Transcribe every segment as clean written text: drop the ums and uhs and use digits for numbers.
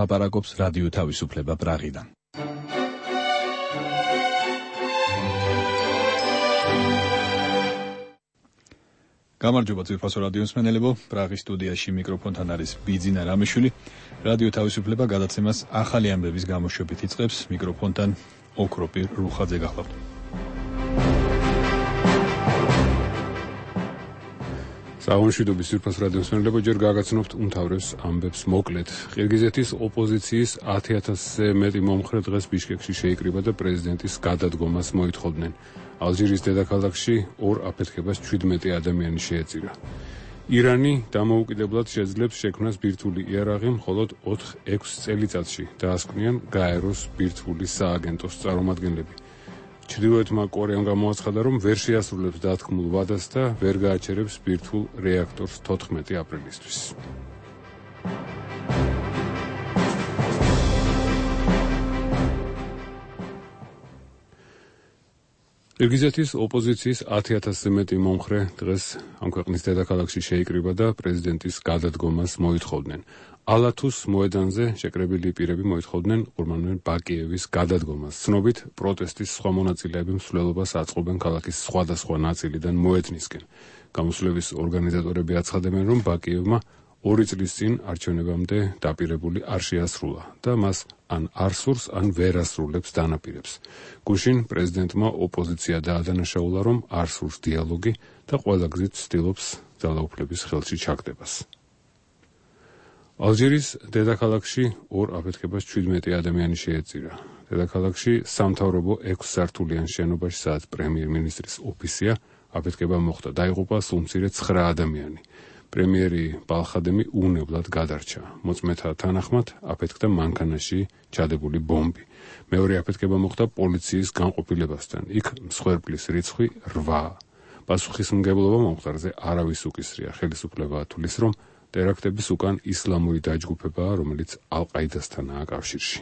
ლაპარაკობს რადიო თავისუფლება პრაღიდან. გამარჯობა ძვირფასო რადიოს მსმენელებო, პრაღის სტუდიაში მიკროფონთან არის ბიძინა რამიშვილი. რადიო თავისუფლება გადაცემას ახალი ამბების გამოშვებით იწყებს. მიკროფონთან ოქროპირ რუხაძე გახლავთ. საღვაშიდობის ძვირფას რადიოს მსმენელებო, ჯერ გაგაცნობთ უმთავრეს ამბებს მოკლედ. ყირგიზეთის ოპოზიციის 10,000-ზე მეტი მომხრე დღეს ბიშკეკში შეიკრიბა და პრეზიდენტის გადადგომას მოითხოვდნენ. ალჟირის დედაქალაქში ორ აფეთქებას 17 ადამიანი შეეწირა. ირანი დამოუკიდებლად შეძლებს შექმნას ბირთვული იარაღი მხოლოდ 4-6 წელიწადში, დაასკვნიან გაეროს ბირთვული სააგენტოს წარმომადგენლები. ჩრდილოეთმა კორეამ გამოაცხადა, რომ ვერ შეასრულებს დათქმულ ვადას და ვერ გააჩერებს ბირთვულ რეაქტორს 14 აპრილისთვის. ყირგიზეთის ოპოზიციის 10,000-ზე მეტი მომხრე დღეს ამ ქვეყნის დედაქალაქში შეიკრიბა და პრეზიდენტის გადადგომას მოითხოვდნენ. ალათუს მოედანზე შეკრებილი პირები მოითხოვდნენ ყურმანბეკ ბაკიევის გადადგომას. ცნობით, პროტესტის სხვა მონაწილეები მსვლელობას აწყობენ ქალაქის სხვადასხვა ნაწილიდან მოედნისკენ. გამოსვლების ორგანიზატორები აცხადებენ, რომ ბაკიევმა 2 წლის წინ არჩევნებამდე დაპირებული არ შეასრულა და მას ან არ სურს, ან ვერ ასრულებს დანაპირებს. გუშინ პრეზიდენტმა ოპოზიცია დაადანაშაულა, რომ არ სურს დიალოგი და ყველა გზით ცდილობს ძალაუფლების ხელში ჩაგდებას. ალჟირის დედაქალაქში ორ აფეთქებას 17 ადამიანი შეეწირა. დედაქალაქში სამთავრობო 6 სართულიან შენობაში, სადაც პრემიერ-მინისტრის ოფისია, აფეთქება მოხდა. დაიღუპა სულმცირე 9 ადამიანი. პრემიერი ბალხადემი უვნებლად გადარჩა. მოწმეთა თანახმად აფეთქდა მანქანაში ჩადებული ბომბი. მეორე აფეთქება მოხდა პოლიციის განყოფილებასთან. იქ მსხვერპლის რიცხვი 8. პასუხისმგებლობა მომხდარზე არავის უკისრია. ხელისუფლება ათვლის, რომ ტერაქტების უკან ისლამური დაჯგუფებაა, რომელიც ალ-ყაიდასთანაა კავშირში.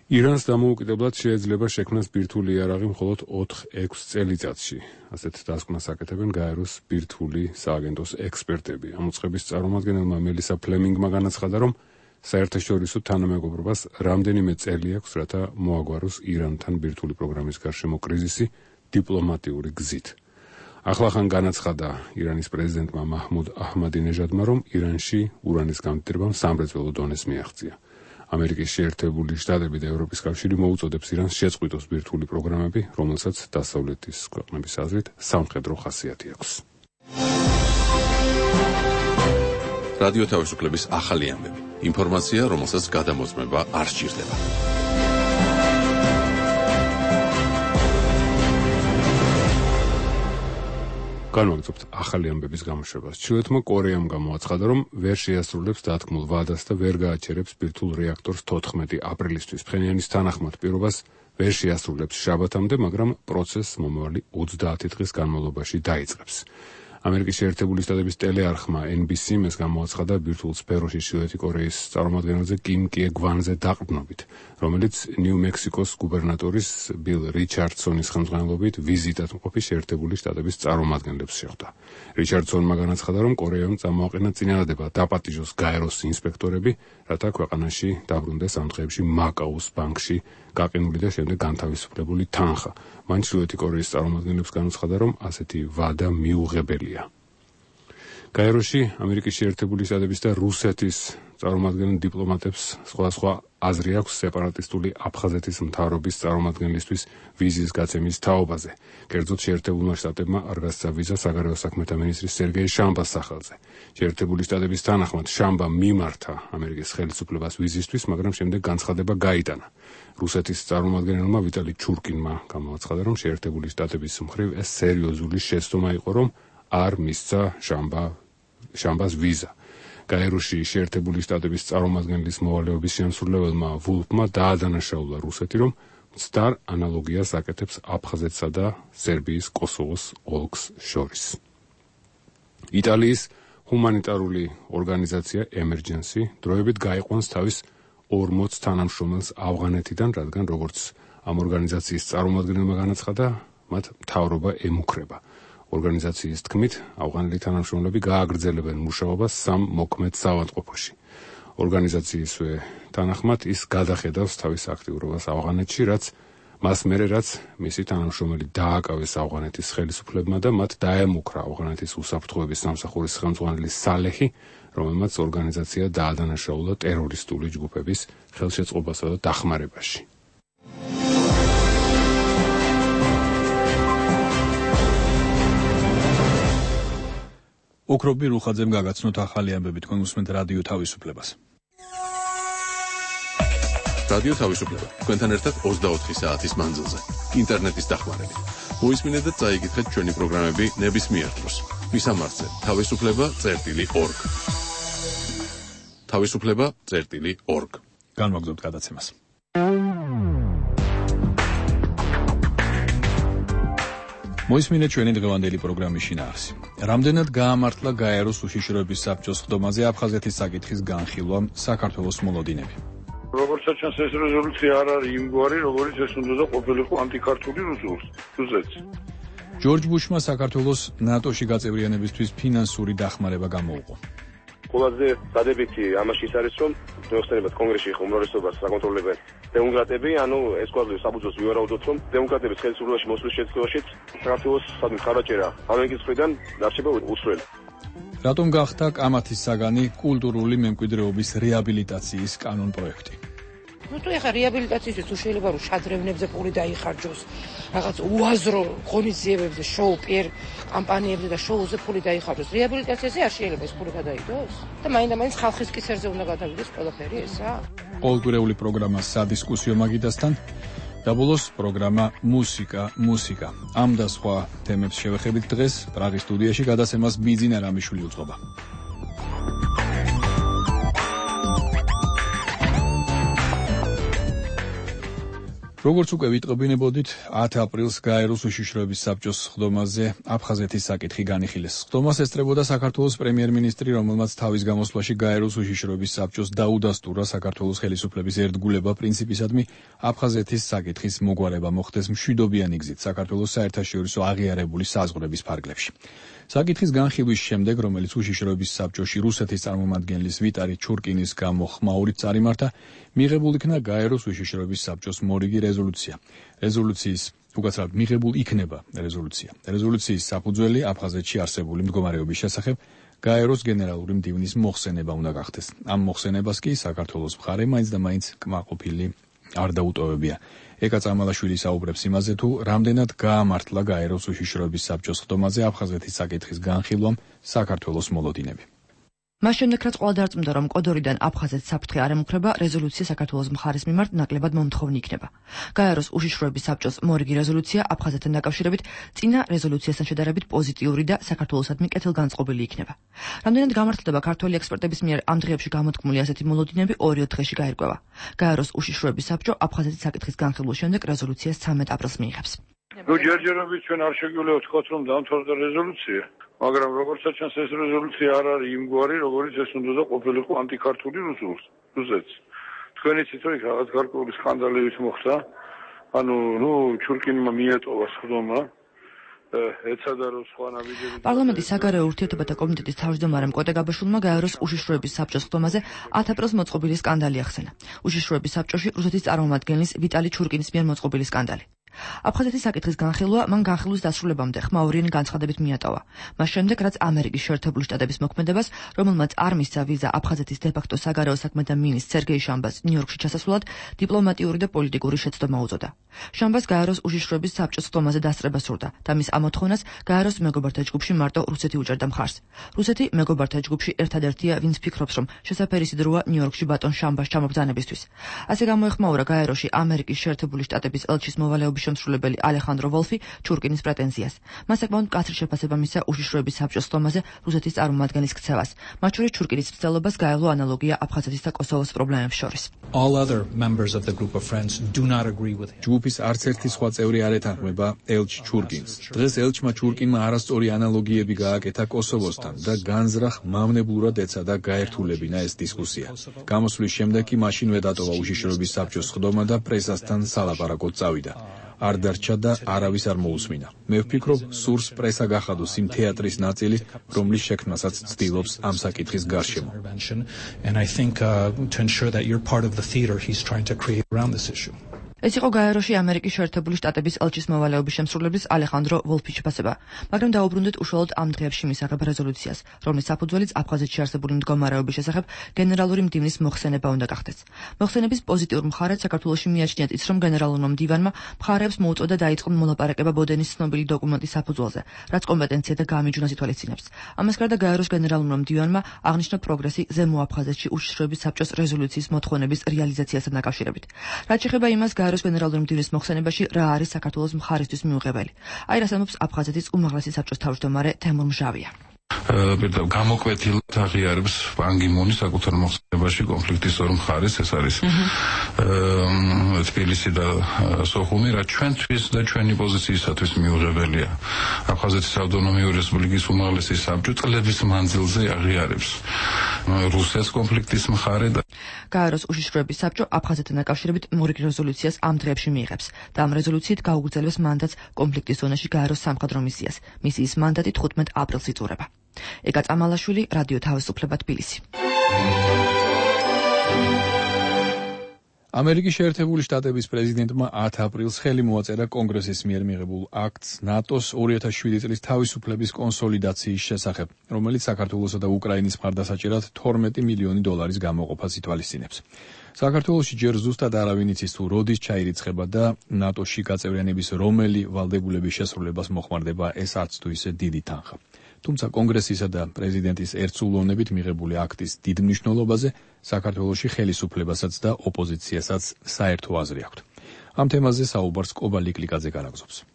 ირანს დამოუკიდებლად შეეძლება შექმნას ბირთვული იარაღი მხოლოდ 4-6 წელიწადში. ასეთ დასკვნას აკეთებენ გაეროს ბირთვული სააგენტოს ექსპერტები. ამ უწყების წარმომადგენელმა მელისა ფლემინგმა განაცხადა, რომ საერთაშორისო თანამეგობრობას რამდენიმე წელი აქვს, რათა მოაგვაროს ირანთან ბირთვული პროგრამის გარშემო კრიზისი დიპლომატიური გზით. ახლახან განაცხადა ირანის პრეზიდენტმა მაჰმუდ აჰმადინეჟადმა, რომ ირანში ურანის გამდიდრებამ სამრეწველო დონეს მიაღწია. ამერიკის შეერთებული შტატები და ევროპის კავშირი მოუწოდებს ირანს შეწყვიტოს ბირთვული პროგრამები, რომელსაც დასავლეთის ქვეყნების აზრით სამხედრო ხასიათი აქვს. რადიო თავისუფლების ახალი ამბები. ინფორმაცია, რომელსაც გადამოწმება არ სჭირდება. განვაგრძობთ ახალი ამბების გამოშვებას. ჩრდილოეთმა კორეამ გამოაცხადა, რომ ვერ შეასრულებს დათქმულ ვადას და ვერ გააჩერებს ბირთვულ რეაქტორს 14 აპრილისთვის. ფხენიანის თანახმად პირობას ვერ შეასრულებს შაბათამდე, მაგრამ პროცესს მომავალი 30 დღის განმავლობაში დაიწყებს. ამერიკის შეერთებული შტატების ტელეარხმა NBC-მ ეს გამოაცხადა ბირთვულ სფეროში ჩრდილოეთი კორეის წარმომადგენელზე კიმ კიე გვანზე დაყრდნობით, რომელიც ნიუ-მექსიკოს გუბერნატორის ბილ რიჩარდსონის ხელმძღვანელობით ვიზიტად მყოფი შეერთებული შტატების წარმომადგენლებს შეხვდა. რიჩარდსონმა განაცხადა, რომ კორეამ წამოაყენა წინადადება დაპატიჟოს გაეროს ინსპექტორები, რათა ქვეყანაში დაბრუნდეს ამ დღეებში მაკაუს ბანკში გაყინული და შემდეგ განთავისუფლებული თანხა. მან ჩრდილოეთი კორეის წარმომადგენლებს განაცხადა, რომ ასეთი ვადა მიუღებელია. გაეროში ამერიკის შეერთებული შტატების და რუსეთის წარმომადგენელ დიპლომატებს სხვადასხვა აზრი აქვს სეპარატისტული აფხაზეთის მთავრობის წარმომადგენლისთვის ვიზის გაცემის თაობაზე. კერძოდ შეერთებულმა შტატებმა არ გასცა ვიზა საგარეო საქმეთა მინისტრის სერგეი შამბას სახელზე. შეერთებული შტატების თანახმად შამბა მიმართა ამერიკის ხელისუფლებას ვიზისთვის, მაგრამ შემდეგ განცხადება გაიტანა. რუსეთის წარმომადგენელმა ვიტალი ჩურკინმა გამოაცხადა, რომ შეერთებული შტატების მხრივ ეს სერიოზული შეცდომა იყო, რომ არ მისცა შამბას ვიზა. გაეროში შეერთებული შტატების წარმომადგენლის მოვალეობის შემსრულებელმა ვულფმა დაადანაშაულა რუსეთი, რომ მცდარ ანალოგიას აკეთებს აფხაზეთსა და სერბიის კოსოვოს ოლქს შორის. იტალიის ჰუმანიტარული ორგანიზაცია Emergency დროებით გაიყვანს თავის 40 თანამშრომელს ავღანეთიდან, რადგან როგორც ამ ორგანიზაციის წარმომადგენელმა განაცხადა, მათ მთავრობა ემუქრება. ორგანიზაციის თქმით, ავღანელი თანამშრომლები გააგრძელებენ მუშაობას 3 მოქმედ საავადმყოფოში. ორგანიზაციისვე თანახმად ის გადახედავს თავის აქტიურობას ავღანეთში, რაც მას მერე რაც მისი თანამშრომელი დააკავეს ავღანეთის ხელისუფლებმა და მათ დაემუქრა ავღანეთის უსაფრთხოების სამსახურის ხელმძღვანელი სალეჰი, რომელმაც ორგანიზაცია დაადანაშაულა ტერორისტული ჯგუფების ხელშეწყობასა და დახმარებაში. ოქრობი რუხაძემ გაგაცნოთ ახალი ამბები, თქვენ უსმენთ რადიო თავისუფლებას. რადიო თავისუფლება თქვენთან ერთად 24 საათის მანძილზე ინტერნეტის დახმარებით. მოისმინეთ და წაიკითხეთ ჩვენი პროგრამები ნებისმიერ დროს. მისამართზე თავისუფლება.org. თავისუფლება.org. განვაგრძობთ გადაცემას. მოისმინეთ ჩვენი დღევანდელი პროგრამის შინაარსი. რამდენად გაამართლა გაეროს უშიშროების საბჭოს სხდომაზე აფხაზეთის საკითხის განხილვამ საქართველოს მოლოდინები. როგორც ჩანს ეს რეზოლუცია არ არის იმგვარი, როგორც ეს უნდა ყოფილიყო ანტიქართული რუსეთს. ჯორჯ ბუშმა საქართველოს ნატოში გაწევრიანებისთვის ფინანსური დახმარება გამოუყო. ყველაზე დადებითი ამაში ის არის, რომ მოხსენებათ კონგრესში უმრავლესობას საკონტროლებენ დემოკრატები, ანუ ეს კვადრატი საბუძოს ვივარაუდოთ, რომ დემოკრატების ხელისუფლებაში მოსვლის შეცდომაშიც საქართველოს სადმე ხარაჭერა ამერიკის მხრიდან დარჩება უცვლელი. რატომ გახდა კამათის საგანი კულტურული მემკვიდრეობის რეაბილიტაციის კანონპროექტი? თუ ეხა რეაბილიტაციისთვის თუ შეიძლება რომ შადრევნებზე პული დაიხარჯოს, რაღაც უაზრო ღონისძიებებზე, შოუ პიერ კამპანიებზე და შოუზე პული დაიხარჯოს, რეაბილიტაციაზე არ შეიძლება ეს პული გადაიდოს? და მაინდა-მაინც ხალხის კისერზე უნდა გადავიდეს ყველაფერი ესა? ყოველდღიური პროგრამა სადისკუსიო მაგიდასთან და ბოლოს პროგრამა მუსიკა. ამ და სხვა თემებს შევეხებით დღეს პრაღის სტუდიაში გადაცემას ბიძინა რამიშვილი უწყობა. როგორც უკვე ვიტყობინებოდით, 10 აპრილს გაეროს უშიშროების საბჭოს სხდომაზე აფხაზეთის საკითხი განიხილეს. სხდომას ესწრებოდა საქართველოს პრემიერ-მინისტრი, რომელმაც თავის გამოსვლაში გაეროს უშიშროების საბჭოს დაუდასტურა საქართველოს ხელისუფლების ერთგულება პრინციპისადმი აფხაზეთის საკითხის მოგვარება მოხდეს მშვიდობიანი გზით საქართველოს საერთაშორისო აღიარებული საზღვრების ფარგლებში. საკითხის განხილვის შემდეგ, რომელიც უშიშროების საბჭოში რუსეთის წარმომადგენლის ვიტალი ჩურკინის გამო ხმაურით წარიმართა, მიღებულ იქნა გაეროს უშიშროების საბჭოს მორიგი რეზოლუცია. მიღებულ იქნება რეზოლუცია. რეზოლუციის საფუძველი აფხაზეთში არსებული მდგომარეობის შესახებ გაეროს გენერალური მდივნის მოხსენება უნდა გახდეს. ამ მოხსენებას კი საქართველოს მხარე მაინც და მაინც კმაყოფილი არ დაუტოვებია. ეკა წამალაშვილი საუბრებს იმაზე, თუ რამდენად გაამართლა გაეროს უშიშროების საბჭოს სხდომაზე აფხაზეთის საკითხის განხილვამ საქართველოს მოლოდინები. მას შემდეგ, რაც ყველა დარწმუნდა, რომ კოდორიდან აფხაზეთს საფრთხე არ ემუქრება, რეზოლუცია საქართველოს მხარის მიმართ ნაკლებად მომთხოვნი იქნება. გაეროს უშიშროების საბჭოს მორიგი რეზოლუცია აფხაზეთთან დაკავშირებით წინა რეზოლუციასთან შედარებით პოზიტიური და საქართველოსადმი კეთილგანწყობილი იქნება. რამდენად გამართლდება ქართველი ექსპერტების მიერ ამ დღეებში გამოთქმული ასეთი მოლოდინები 2 დღეში გაირკვევა. გაეროს უშიშროების საბჭო აფხაზეთის საკითხის განხილვის შემდეგ რეზოლუციას 13 აპრილს მიიღებს. ჯერჯერობით ჩვენ არ შეგვიძლია ვთქვათ, რომ დამთავრდა რეზოლუცია. მაგრამ როგორც ჩანს ეს რეზოლუცია არ არის იმგვარი, როგორც ეს უნდა ყოფილიყო ანტიქართული რუსეთს. თქვენ იცით, რომ რაღაც გარკვეული სკანდალებიც მოხდა. ჩურკინმა მიატოვა სხდომა. პარლამენტის საგარეო ურთიერთობათა კომიტეტის თავმჯდომარემ კოტე გაბაშვილმა გაეროს უშიშროების საბჭოს სხდომაზე 10 აპრილს მოწყობილი სკანდალი ახსენა. უშიშროების საბჭოში რუსეთის წარმომადგენლის ვიტალი ჩურკინის მიერ მოწყობილი სკანდალი. აფხაზეთის საკითხის განხილვა მან განხილვის დასრულებამდე ხმაურიანი განცხადებით მიატოვა. მას შემდეგ, რაც ამერიკის შეერთებული შტატების მოქმედებას, რომელმაც არ მისცა ვიზა აფხაზეთის დე-ფაქტო საგარეო საქმეთა მინისტრ სერგეი შამბას ნიუ-იორკში ჩასასვლად, დიპლომატიური და პოლიტიკური შეცდომა უწოდა. შამბას გაეროს უშიშროების საბჭოს სხდომაზე დასწრება სურდა და მის ამოთხოვნას გაეროს მეგობართა ჯგუფში მარტო რუსეთი უჭერდა მხარს. რუსეთი მეგობართა ჯგუფში ერთადერთია, ვინც ფიქრობს, რომ შესაფერი სიდროა ნიუ-იორკში ბატონ შამბას ჩამობრძანებისთვის. ასე გამოეხმაურა გაეროში ამერიკის შეერთებული შტატების ელჩის მოვალეობის შემსრულებელი ალეხანდრო ვოლფი ჩურკინის პრეტენზიას. მას საკმაოდ მკაცრი შეფასება მისცა უშიშროების საბჭოს სხდომაზე რუსეთის წარმომადგენლის ქცევას. მათ შორის ჩურკინის მცდელობას გაევლო ანალოგია აფხაზეთის და კოსოვოს პრობლემებს შორის. ჯგუფის არც ერთი სხვა წევრი არ ეთანხმება ელჩ ჩურკინს. დღეს ელჩმა ჩურკინმა არასწორი ანალოგიები გააკეთა კოსოვოსთან და განზრახ მავნებლურად ეცადა გაერთულებინა ეს დისკუსია. გამოსვლის შემდეგ კი მაშინვე დატოვა უშიშროების საბჭოს სხდომა და პრესასთან სალაპარაკოდ წავიდა. არ დარჩა და არავის არ მოусმინა. მე ვფიქრობ, სურს პრესა გახადოს იმ თეატრის ნაწილი, რომლის შექმნასაც ცდილობს ამ საკითხის გარშემო. And I think to ensure that you're part of the theater he's trying to create around this issue. ეს იყო გაეროში ამერიკის შეერთებული შტატების ელჩის მოვალეობის შემსრულებლის ალეხანდრო ვოლფის შეფასება, მაგრამ დაუბრუნდეთ უშუალოდ ამ დღეებში მისაღებ რეზოლუციას, რომლის საფუძველიც აფხაზეთში არსებული მდგომარეობის შესახებ გენერალური მდივნის მოხსენება უნდა გახდეს. მოხსენების პოზიტიურ მხარეს საქართველოში მიაჩნიათ ის, რომ გენერალურმა მდივანმა მხარეებს მოუწოდა დაიწყონ მოლაპარაკება ბოდენის ცნობილი დოკუმენტის საფუძველზე, რაც კომპეტენცია და გამიჯვნას ითვალისწინებს. ამას გარდა გაეროს გენერალურმა მდივანმა აღნიშნა პროგრესი ზემო აფხაზეთში უშიშროების საბჭოს რეზოლუციის მოთხოვნების რეალიზაციასთან დაკავშირებით. რაც შეეხება იმას, გაეროს გენერალური მდივნის მოხსენებაში რა არის საქართველოს მხარისთვის მიუღებელი. აი რას ამბობს აფხაზეთის უმაღლესი საბჭოს თავმჯდომარე თემურ მჟავია. გამოკვეთილად აღიარებს პან კი მუნი საკუთარ მოხსენებაში კონფლიქტის ორ მხარეს, ეს არის თბილისი და სოხუმი, რაც ჩვენთვის და ჩვენი პოზიციისათვის მიუღებელია. აფხაზეთის ავტონომიური რესპუბლიკის უმაღლესი საბჭო წლების მანძილზე აღიარებს რუსეთის კონფლიქტის მხარე და გაეროს უშიშროების საბჭო აფხაზეთთან დაკავშირებით მორიგ რეზოლუციას ამ დღეებში მიიღებს და ამ რეზოლუციით გაუგრძელებს მანდატს კონფლიქტის ზონაში გაეროს სამხედრო მისიას. მისიის მანდატი 15 აპრილს იწურება. ეკა წამალაშვილი, რადიო თავისუფლება, თბილისი. ამერიკის შეერთებული შტატების პრეზიდენტმა 10 აპრილს ხელი მოაწერა კონგრესის მიერ მიღებულ აქტს ნატოს 2007 წლის თავისუფლების კონსოლიდაციის შესახებ, რომელიც საქართველოსა და უკრაინის მხარდასაჭერად 12 მილიონი დოლარის გამოყოფას ითვალისწინებს. საქართველოში ჯერ ზუსტად არავინ იცის თუ როდის ჩაირიცხება და ნატოში გაწევრიანების რომელი ვალდებულების შესრულებას მოხმარდება ეს არც თუ ისე დიდი თანხა. თუმცა კონგრესისა და პრეზიდენტის ერთსულოვნებით მიღებული აქტის დიდ მნიშვნელობაზე საქართველოში ხელისუფლებასაც და ოპოზიციასაც საერთო აზრი აქვთ. ამ თემაზე საუბარს კობა ლიკლიკაძე განაგზობს.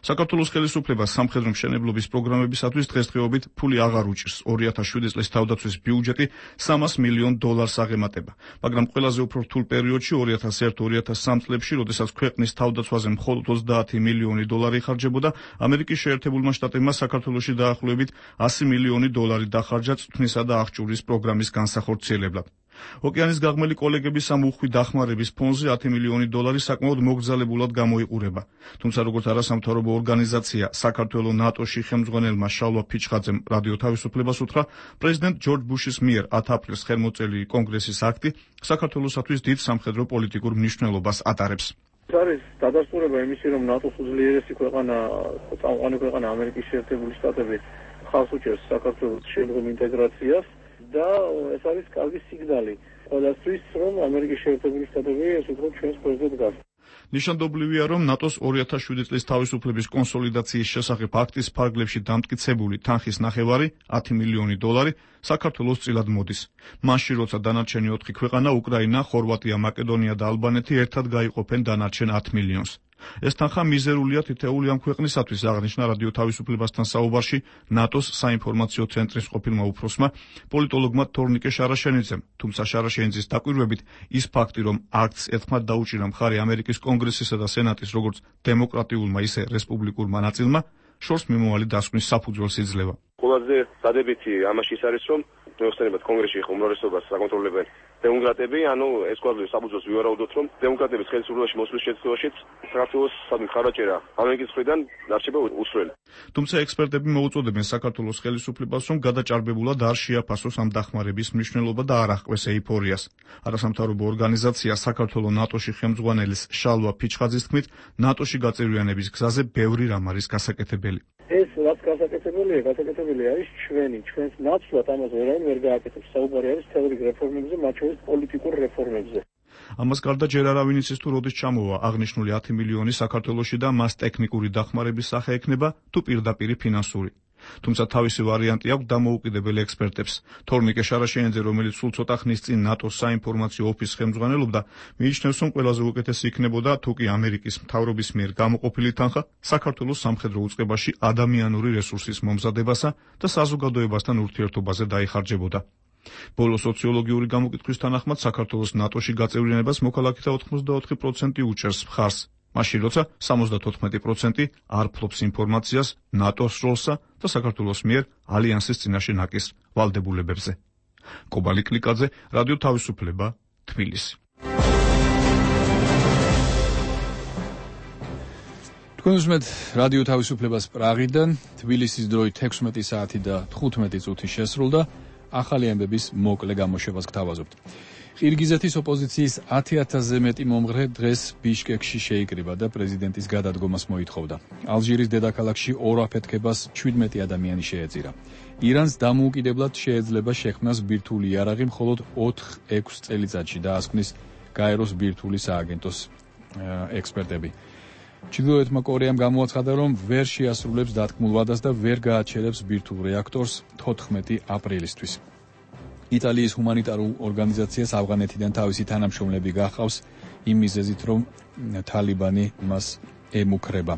საქართველოს ხელისუფლებას სამხედრო მშენებლობის პროგრამებისათვის დღესდღეობით ფული აღარ უჭირს. 2007 წლის თავდაცვის ბიუჯეტი 300 მილიონ დოლარს აღემატება, მაგრამ ყველაზე უფრო რთულ პერიოდში 2001-2003 წლებში, როდესაც ქვეყნის თავდაცვაზე მხოლოდ 30 მილიონი დოლარი იხარჯებოდა, ამერიკის შეერთებულმა შტატებმა საქართველოში დაახლოებით 100 მილიონი დოლარი დახარჯა წვრთნისა და აღჭურის პროგრამის განსახორციელებლად. ოკეანის გაღმელი კოლეგების ამ უხვი დახმარების ფონზე 10 მილიონი დოლარი საკმაოდ მოგრძალებულად გამოიყურება. თუმცა როგორც არასამთავრობო ორგანიზაცია საქართველოს ნატოში ხელმძღვანელმა შალვა ფიჩხაძემ რადიო თავისუფლებას უთხრა, პრეზიდენტ ჯორჯ ბუშის მიერ 10 აპრილს ხელმოწერილი კონგრესის აქტი საქართველოსათვის დიდ სამხედრო პოლიტიკურ მნიშვნელობას ატარებს. ეს არის დადასტურება იმისი, რომ ნატოს უძლიერესი ქვეყანა, წამყვანი ქვეყანა ამერიკის შეერთებული შტატები ხალხს უჭერს საქართველოს შემდგომ ინტეგრაციას. და ეს არის კარგი სიგნალი ყველასთვის, რომ ამერიკის შეერთებული შტატები ეს უფრო ჩვენს ქვეშ დგას. ნიშანდობლივია, რომ ნატოს 2007 წლის თავისუფლების კონსოლიდაციის შესახებ აქტის ფარგლებში დამტკიცებული თანხის ნახევარი 10 მილიონი დოლარი საქართველოს წილად მოდის. მაშინ როცა დანარჩენი 4 ქვეყანა უკრაინა, ხორვატია, მაკედონია და ალბანეთი ერთად გაიყოფენ დანარჩენ 10 მილიონს. ეს თანხა მიზერულია თითეული ამ ქვეყნისათვის, აღნიშნა რადიო თავისუფლებასთან საუბარში ნატოს საინფორმაციო ცენტრის ყოფილმა უფროსმა პოლიტოლოგმა თორნიკე შარაშენიძემ. თუმცა შარაშენიძის დაკვირვებით ის ფაქტი, რომ აქტს ერთხმად დაუჭირა მხარი ამერიკის კონგრესისა და სენატის როგორც დემოკრატიულმა, ისე რესპუბლიკურმა ნაწილმა, შორს მიმავალი დასკვნის საფუძველს იძლევა. ყველაზე დადებითი ამაში ის არის, რომ მოიხსენებათ კონგრესში უმრავლესობას საკონტროლებენ დემოკრატები, ანუ ეს გვაქვს საფუძველს ვივარაუდოთ, რომ დემოკრატების ხელისუფლებაში მოსვლის შემთხვევაშიც საქართველოს მხარდაჭერა ამერიკის მხრიდან დარჩება უსვლელი. თუმცა ექსპერტები მოუწოდებენ საქართველოს ხელისუფლებას, რომ გადაჭარბებულად არ შეაფასოს ამ დახმარების მნიშვნელობა და არ აღკვეს ეიფორიას. არასამთავრობო ორგანიზაცია საქართველოს ნატოში ხელმძღვანელის შალვა ფიჩხაძის თქმით, ნატოში გაწევრიანების გზაზე ბევრი რამ არის გასაკეთებელი. ეს რაც გასაკეთებელი არის ჩვენს ნაცვლად ამაზე ვერავინ ვერ გააკეთებს. საუბარი არის თეორიულ რეფორმებზე, მათ შორის პოლიტიკურ რეფორმებზე. ამას გარდა ჯერ არავინ იცის თუ როდის ჩამოვა აღნიშნული 10 მილიონი საქართველოში და მას ტექნიკური დახმარების სახე ექნება თუ პირდაპირი ფინანსური. თუმცა თავისი ვარიანტი აქვს დამოუკიდებელი ექსპერტებს. თორნიკე შარაშენიძე, რომელიც სულ ცოტა ხნის წინ ნატოს საინფორმაციო ოფისს ხელმძღვანელობდა, მიიჩნევს, რომ ყველაზე უკეთესი იქნებოდა თუ კი ამერიკის მთავრობის მიერ გამოყოფილი თანხა საქართველოს სამხედრო უწყებაში ადამიანური რესურსის მომზადებასა და საზოგადოებასთან ურთიერთობაზე დაიხარჯებოდა. ბოლო სოციოლოგიური გამოკითხვის თანახმად საქართველოს ნატოში გაწევრიანებას მოქალაქეთა 84% უჭერს მხარს. მაშინ როცა 74% არ ფლობს ინფორმაციას ნატოს როლსა და საქართველოს მიერ ალიანსის წინაშე ნაკის ვალდებულებებზე. კობა ლიკლიკაძე, რადიო თავისუფლება, თბილისი. თქვენ უსმენთ რადიო თავისუფლებას პრაღიდან, თბილისის დროით 16 საათი და 15 წუთი შესრულდა, ახალი ამბების მოკლე გამოშვებას გთავაზობთ. ყირგიზეთის ოპოზიციის 10,000-ზე მეტი მომღრე დღეს ბიშკეკში შეიკრიბა და პრეზიდენტის გადადგომას მოითხოვდა. ალჟირის დედაქალაქში ორ აფეთქებას 17 ადამიანი შეეწირა. ირანს დამოუკიდებლად შეეძლება შექმნას ბირთვული იარაღი მხოლოდ 4-6 წელიწადში დაასკვნის გაეროს ბირთვული სააგენტოს ექსპერტები. ჩრდილოეთმა კორეამ გამოაცხადა, რომ ვერ შეასრულებს დათქმულ ვადას და ვერ გააჩერებს ბირთვულ რეაქტორს 14 აპრილისთვის. იტალიის ჰუმანიტარულ ორგანიზაციას ავღანეთიდან თავისი თანამშრომლები გახავს იმ მიზეზით, რომ თალიბანი მას ემუქრება.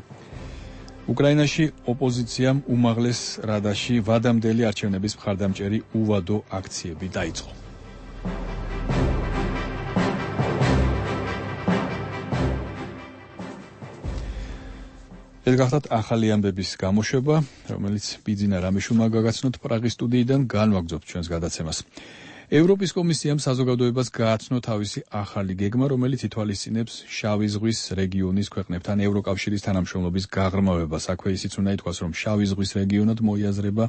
უკრაინაში ოპოზიციამ უმაღლეს რადაში ვადამდელი არჩევნების მხარდამჭერი უვადო აქციები დაიწყო. ეს გახლავთ ახალი ამბების გამოშვება, რომელიც ბიძინა რამიშულმა გაგაცნოთ პრაღის სტუდიიდან, განვაგრძობთ ჩვენს გადაცემას. ევროპის კომისიამ საზოგადოებას გააცნო თავისი ახალი გეგმა, რომელიც ითვალისწინებს შავი ზღვის რეგიონის ქვეყნებთან ევროკავშირის თანამშრომლობის გაღრმავებას. აქვე ისიც უნდა ითქვას, რომ შავი ზღვის რეგიონად მოიაზრება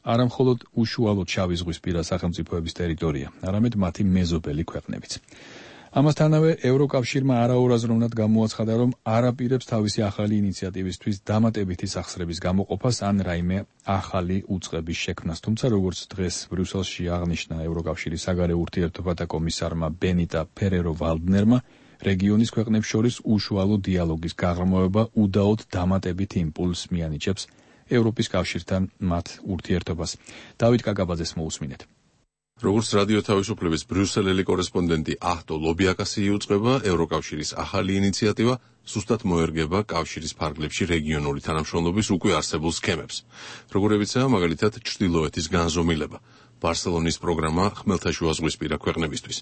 არა მხოლოდ უშუალოდ შავი ზღვის პირა სახელმწიფოების ტერიტორია, არამედ მათი მეზობელი ქვეყნებიც. ამასთანავე ევროკავშირმა არაურაზროვნად გამოაცხადა, რომ არ აპირებს თავისი ახალი ინიციატივისთვის დამატებითი სახსრების გამოყოფას ან რაიმე ახალი უწყების შექმნას. თუმცა, როგორც დღეს ბრიუსელში აღნიშნა ევროკავშირის საგარეო ურთიერთობათა კომისარმა ბენიტა ფერერო-ვალდნერმა, რეგიონის ქვეყნებს შორის უშუალო დიალოგის გაღრმავება უდაოდ დამატებით იმპულსს მიანიჭებს ევროპის კავშირთან მათ ურთიერთობას. დავით კაკაბაძეს მოусმინეთ. როგორც რადიო თავისუფლების ბრიუსელელი კორესპონდენტი აჰტო ლობიაკასი იუწყება, ევროკავშირის ახალი ინიციატივა სუსტად მოერგება კავშირის ფარგლებში რეგიონული თანამშრომლობის უკვე არსებულ სქემებს. როგორებიცაა მაგალითად ჩრდილოეთის განზომილება, ბარსელონის პროგრამა ხმელთაშუაზღვისპირა ქვეყნებისთვის,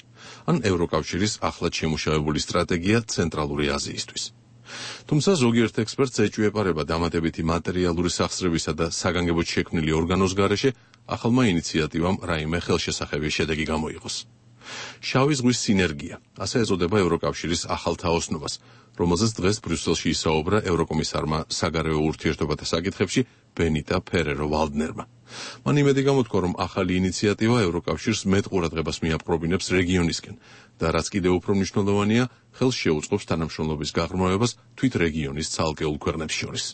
ან ევროკავშირის ახლად შემუშავებული სტრატეგია ცენტრალური აზიისთვის. თუმცა ზოგიერთ ექსპერტს ეჭვიეპარება დამატებითი მატერიალური სახსრებისა და საგანგებოდ შექმნილი ორგანოს გარეშე ახალმა ინიციატივამ რაიმე ხელშესახები შედეგი გამოიღოს. შავი ზღვის სინერგია, ასე ეწოდება ევროკავშირის ახალ თაოსნობას, რომელზეც დღეს ბრიუსელში ისაუბრა ევროკომისარმა საგარეო ურთიერთობათა საკითხებში ბენიტა ფერერო-ვალდნერმა. მან იმედი გამოთქვა, რომ ახალი ინიციატივა ევროკავშირს მეტ ყურადღებას მიაპყრობინებს რეგიონისკენ და რაც კიდევ უფრო მნიშვნელოვანია, ხელს შეუწყობს თანამშრომლობის გაღრმავებას თვით რეგიონის ცალკეულ ქვეყნებს შორის.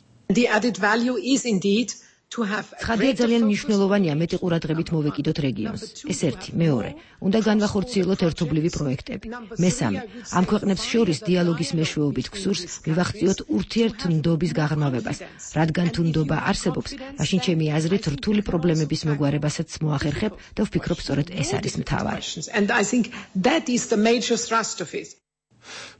ცხადია, ძალიან მნიშვნელოვანია მეტი ყურადღებით მოვეკიდოთ რეგიონს. ეს ერთი, მეორე, უნდა განვახორციელოთ ერთობლივი პროექტები. მესამე, ამ ქვეყნებს შორის დიალოგის მეშვეობით გსურს მივახციოთ ურთიერთმდობის გაღრმავებას, რადგან თუ ნდობა არსებობს, მაშინ ჩემი აზრით რთული პრობლემების მოგვარებასაც მოახერხებ და ვფიქრობ, სწორედ ეს არის მთავარი.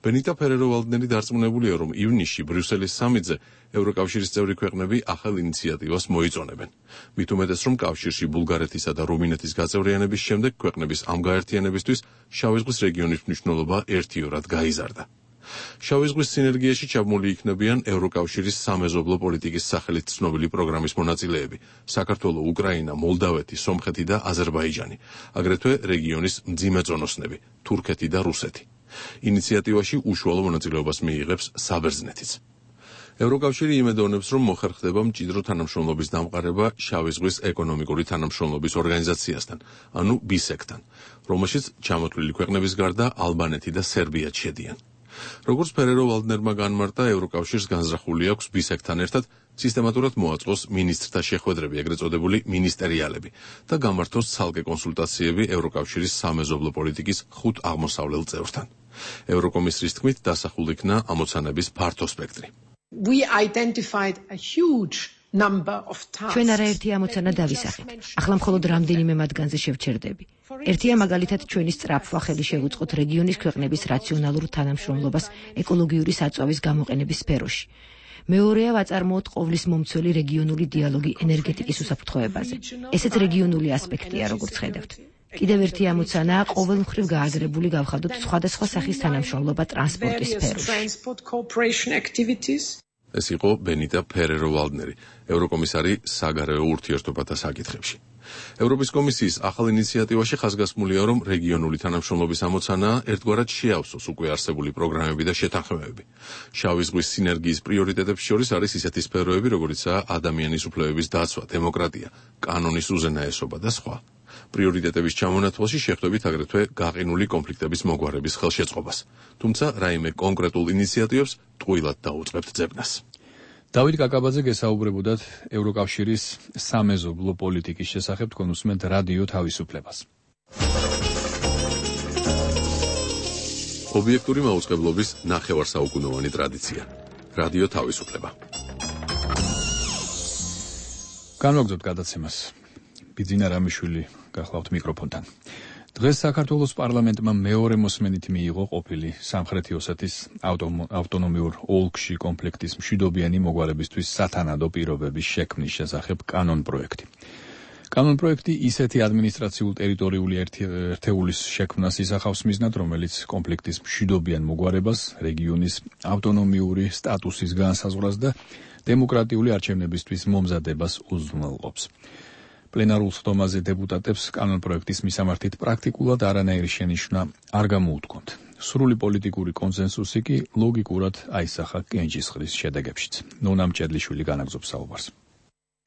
ბენიტა ფერერო-ვალდნერი დარწმუნებულია, რომ ივნისში ბრიუსელის სამიტზე ევროკავშირის წევრი ქვეყნები ახალ ინიციატივას მოიწონებენ. მით უმეტეს, რომ კავშირში ბულგარეთისა და რუმინეთის გაწევრიანების შემდეგ ქვეყნების ამ გაერთიანებისთვის შავი ზღვის რეგიონის მნიშვნელობა ერთიორად გაიზარდა. შავი ზღვის სინერგიაში ჩაბმული იქნებიან ევროკავშირის სამეზობლო პოლიტიკის სახელით ცნობილი პროგრამის მონაწილეები: საქართველო, უკრაინა, მოლდავეთი, სომხეთი და აზერბაიჯანი, აგრეთვე რეგიონის მძიმე წონოსნები: თურქეთი და რუსეთი. ინიციატივაში უშუალო მონაწილეობას მიიღებს საბერძნეთიც. ევროკავშირი იმედოვნებს, რომ მოხერხდება მჭიდრო თანამშრომლობის დამყარება შავი ზღვის ეკონომიკური თანამშრომლობის ორგანიზაციასთან, ანუ ბისეკთან, რომელშიც ჩამოთვლილი ქვეყნების გარდა ალბანეთი და სერბიაც შედიან. როგორც ფერერო-ვალდნერმა განმარტა, ევროკავშირს განზრახული აქვს ბისეკთან ერთად სისტემატურად მოაწყოს მინისტრთა შეხვედრები, ეგრეთ წოდებული მინისტერიალები და გამართოს ცალკე კონსულტაციები ევროკავშირის სამეზობლო პოლიტიკის 5 აღმოსავლელ წევრთან. ევროკომისრის თქმით, დასახულ იქნა ამოცანების ფართო სპექტრი. ჩვენ არაერთი ამოცანა დავისახეთ. ახლა მხოლოდ რამდენიმე მათგანზე შევჩერდები. ერთია მაგალითად ჩვენი სწრაფვა ხელი შევუწყოთ რეგიონის ქვეყნების რაციონალურ თანამშრომლობას ეკოლოგიური საწვავის გამოყენების სფეროში. მეორეა ვაწარმოოთ ყოვლის მომცველი რეგიონული დიალოგი ენერგეტიკის უსაფრთხოებაზე. ესეც რეგიონული ასპექტია, როგორც ხედავთ. კიდევ ერთი ამოცანაა ყოველმხრივ გააზრებული გავხადოთ სხვადასხვა სახის თანამშრომლობა ტრანსპორტის სფეროში. ეს იყო ბენიტა ფერერო-ვალდნერი, ევროკომისარი საგარეო ურთიერთობათა საკითხებში. ევროპის კომისიის ახალ ინიციატივაში ხაზგასმულია, რომ რეგიონული თანამშრომლობის ამოცანაა ერთგვარად შეავსოს უკვე არსებული პროგრამები და შეთანხმებები. შავი ზღვის სინერგიის პრიორიტეტებს შორის არის ისეთი სფეროები, როგორიცაა ადამიანის უფლებების დაცვა, დემოკრატია, კანონის უზენაესობა და სხვა. პრიორიტეტების ჩამონათვალში შეხვდებით აგრეთვე გაყინული კონფლიქტების მოგვარების ხელშეწყობას. თუმცა რაიმე კონკრეტულ ინიციატივებს ტყუილად დაუწყებთ ძებნას. დავით კაკაბაძე გესაუბრებოდათ ევროკავშირის სამეზობლო პოლიტიკის შესახებ, თქვენ უსმენთ რადიო თავისუფლებას. ობიექტური მაუწყებლობის ნახევარსაუკუნოვანი ტრადიცია. რადიო თავისუფლება. განვაგრძობთ გადაცემას. ბიძინა რამიშვილი გახლავთ მიკროფონთან. დღეს საქართველოს პარლამენტმა მეორე მოსმენით მიიღო ყოფილი სამხრეთი ოსეთის ავტონომიურ ოლქში კონფლიქტის მშვიდობიანი მოგვარებისთვის სათანადო პირობების შექმნის შესახებ კანონპროექტი. კანონპროექტი ისეთი ადმინისტრაციულ ტერიტორიული ერთეულის შექმნას ისახავს მიზნად, რომელიც კონფლიქტის მშვიდობიან მოგვარებას, რეგიონის ავტონომიური სტატუსის განსაზღვრას და დემოკრატიული არჩევნებისთვის მომზადებას უზრუნველყოფს. პლენარულ ხდომაზე დეპუტატებს კანონპროექტის მისამართით პრაქტიკულად არანაირი შენიშვნა არ გამოუთქვამთ. სრული პოლიტიკური კონსენსუსი კი ლოგიკურად აისახა კენჭისყრის შედეგებშიც. ნონა მჭედლიშვილი განაგრძობს საუბარს.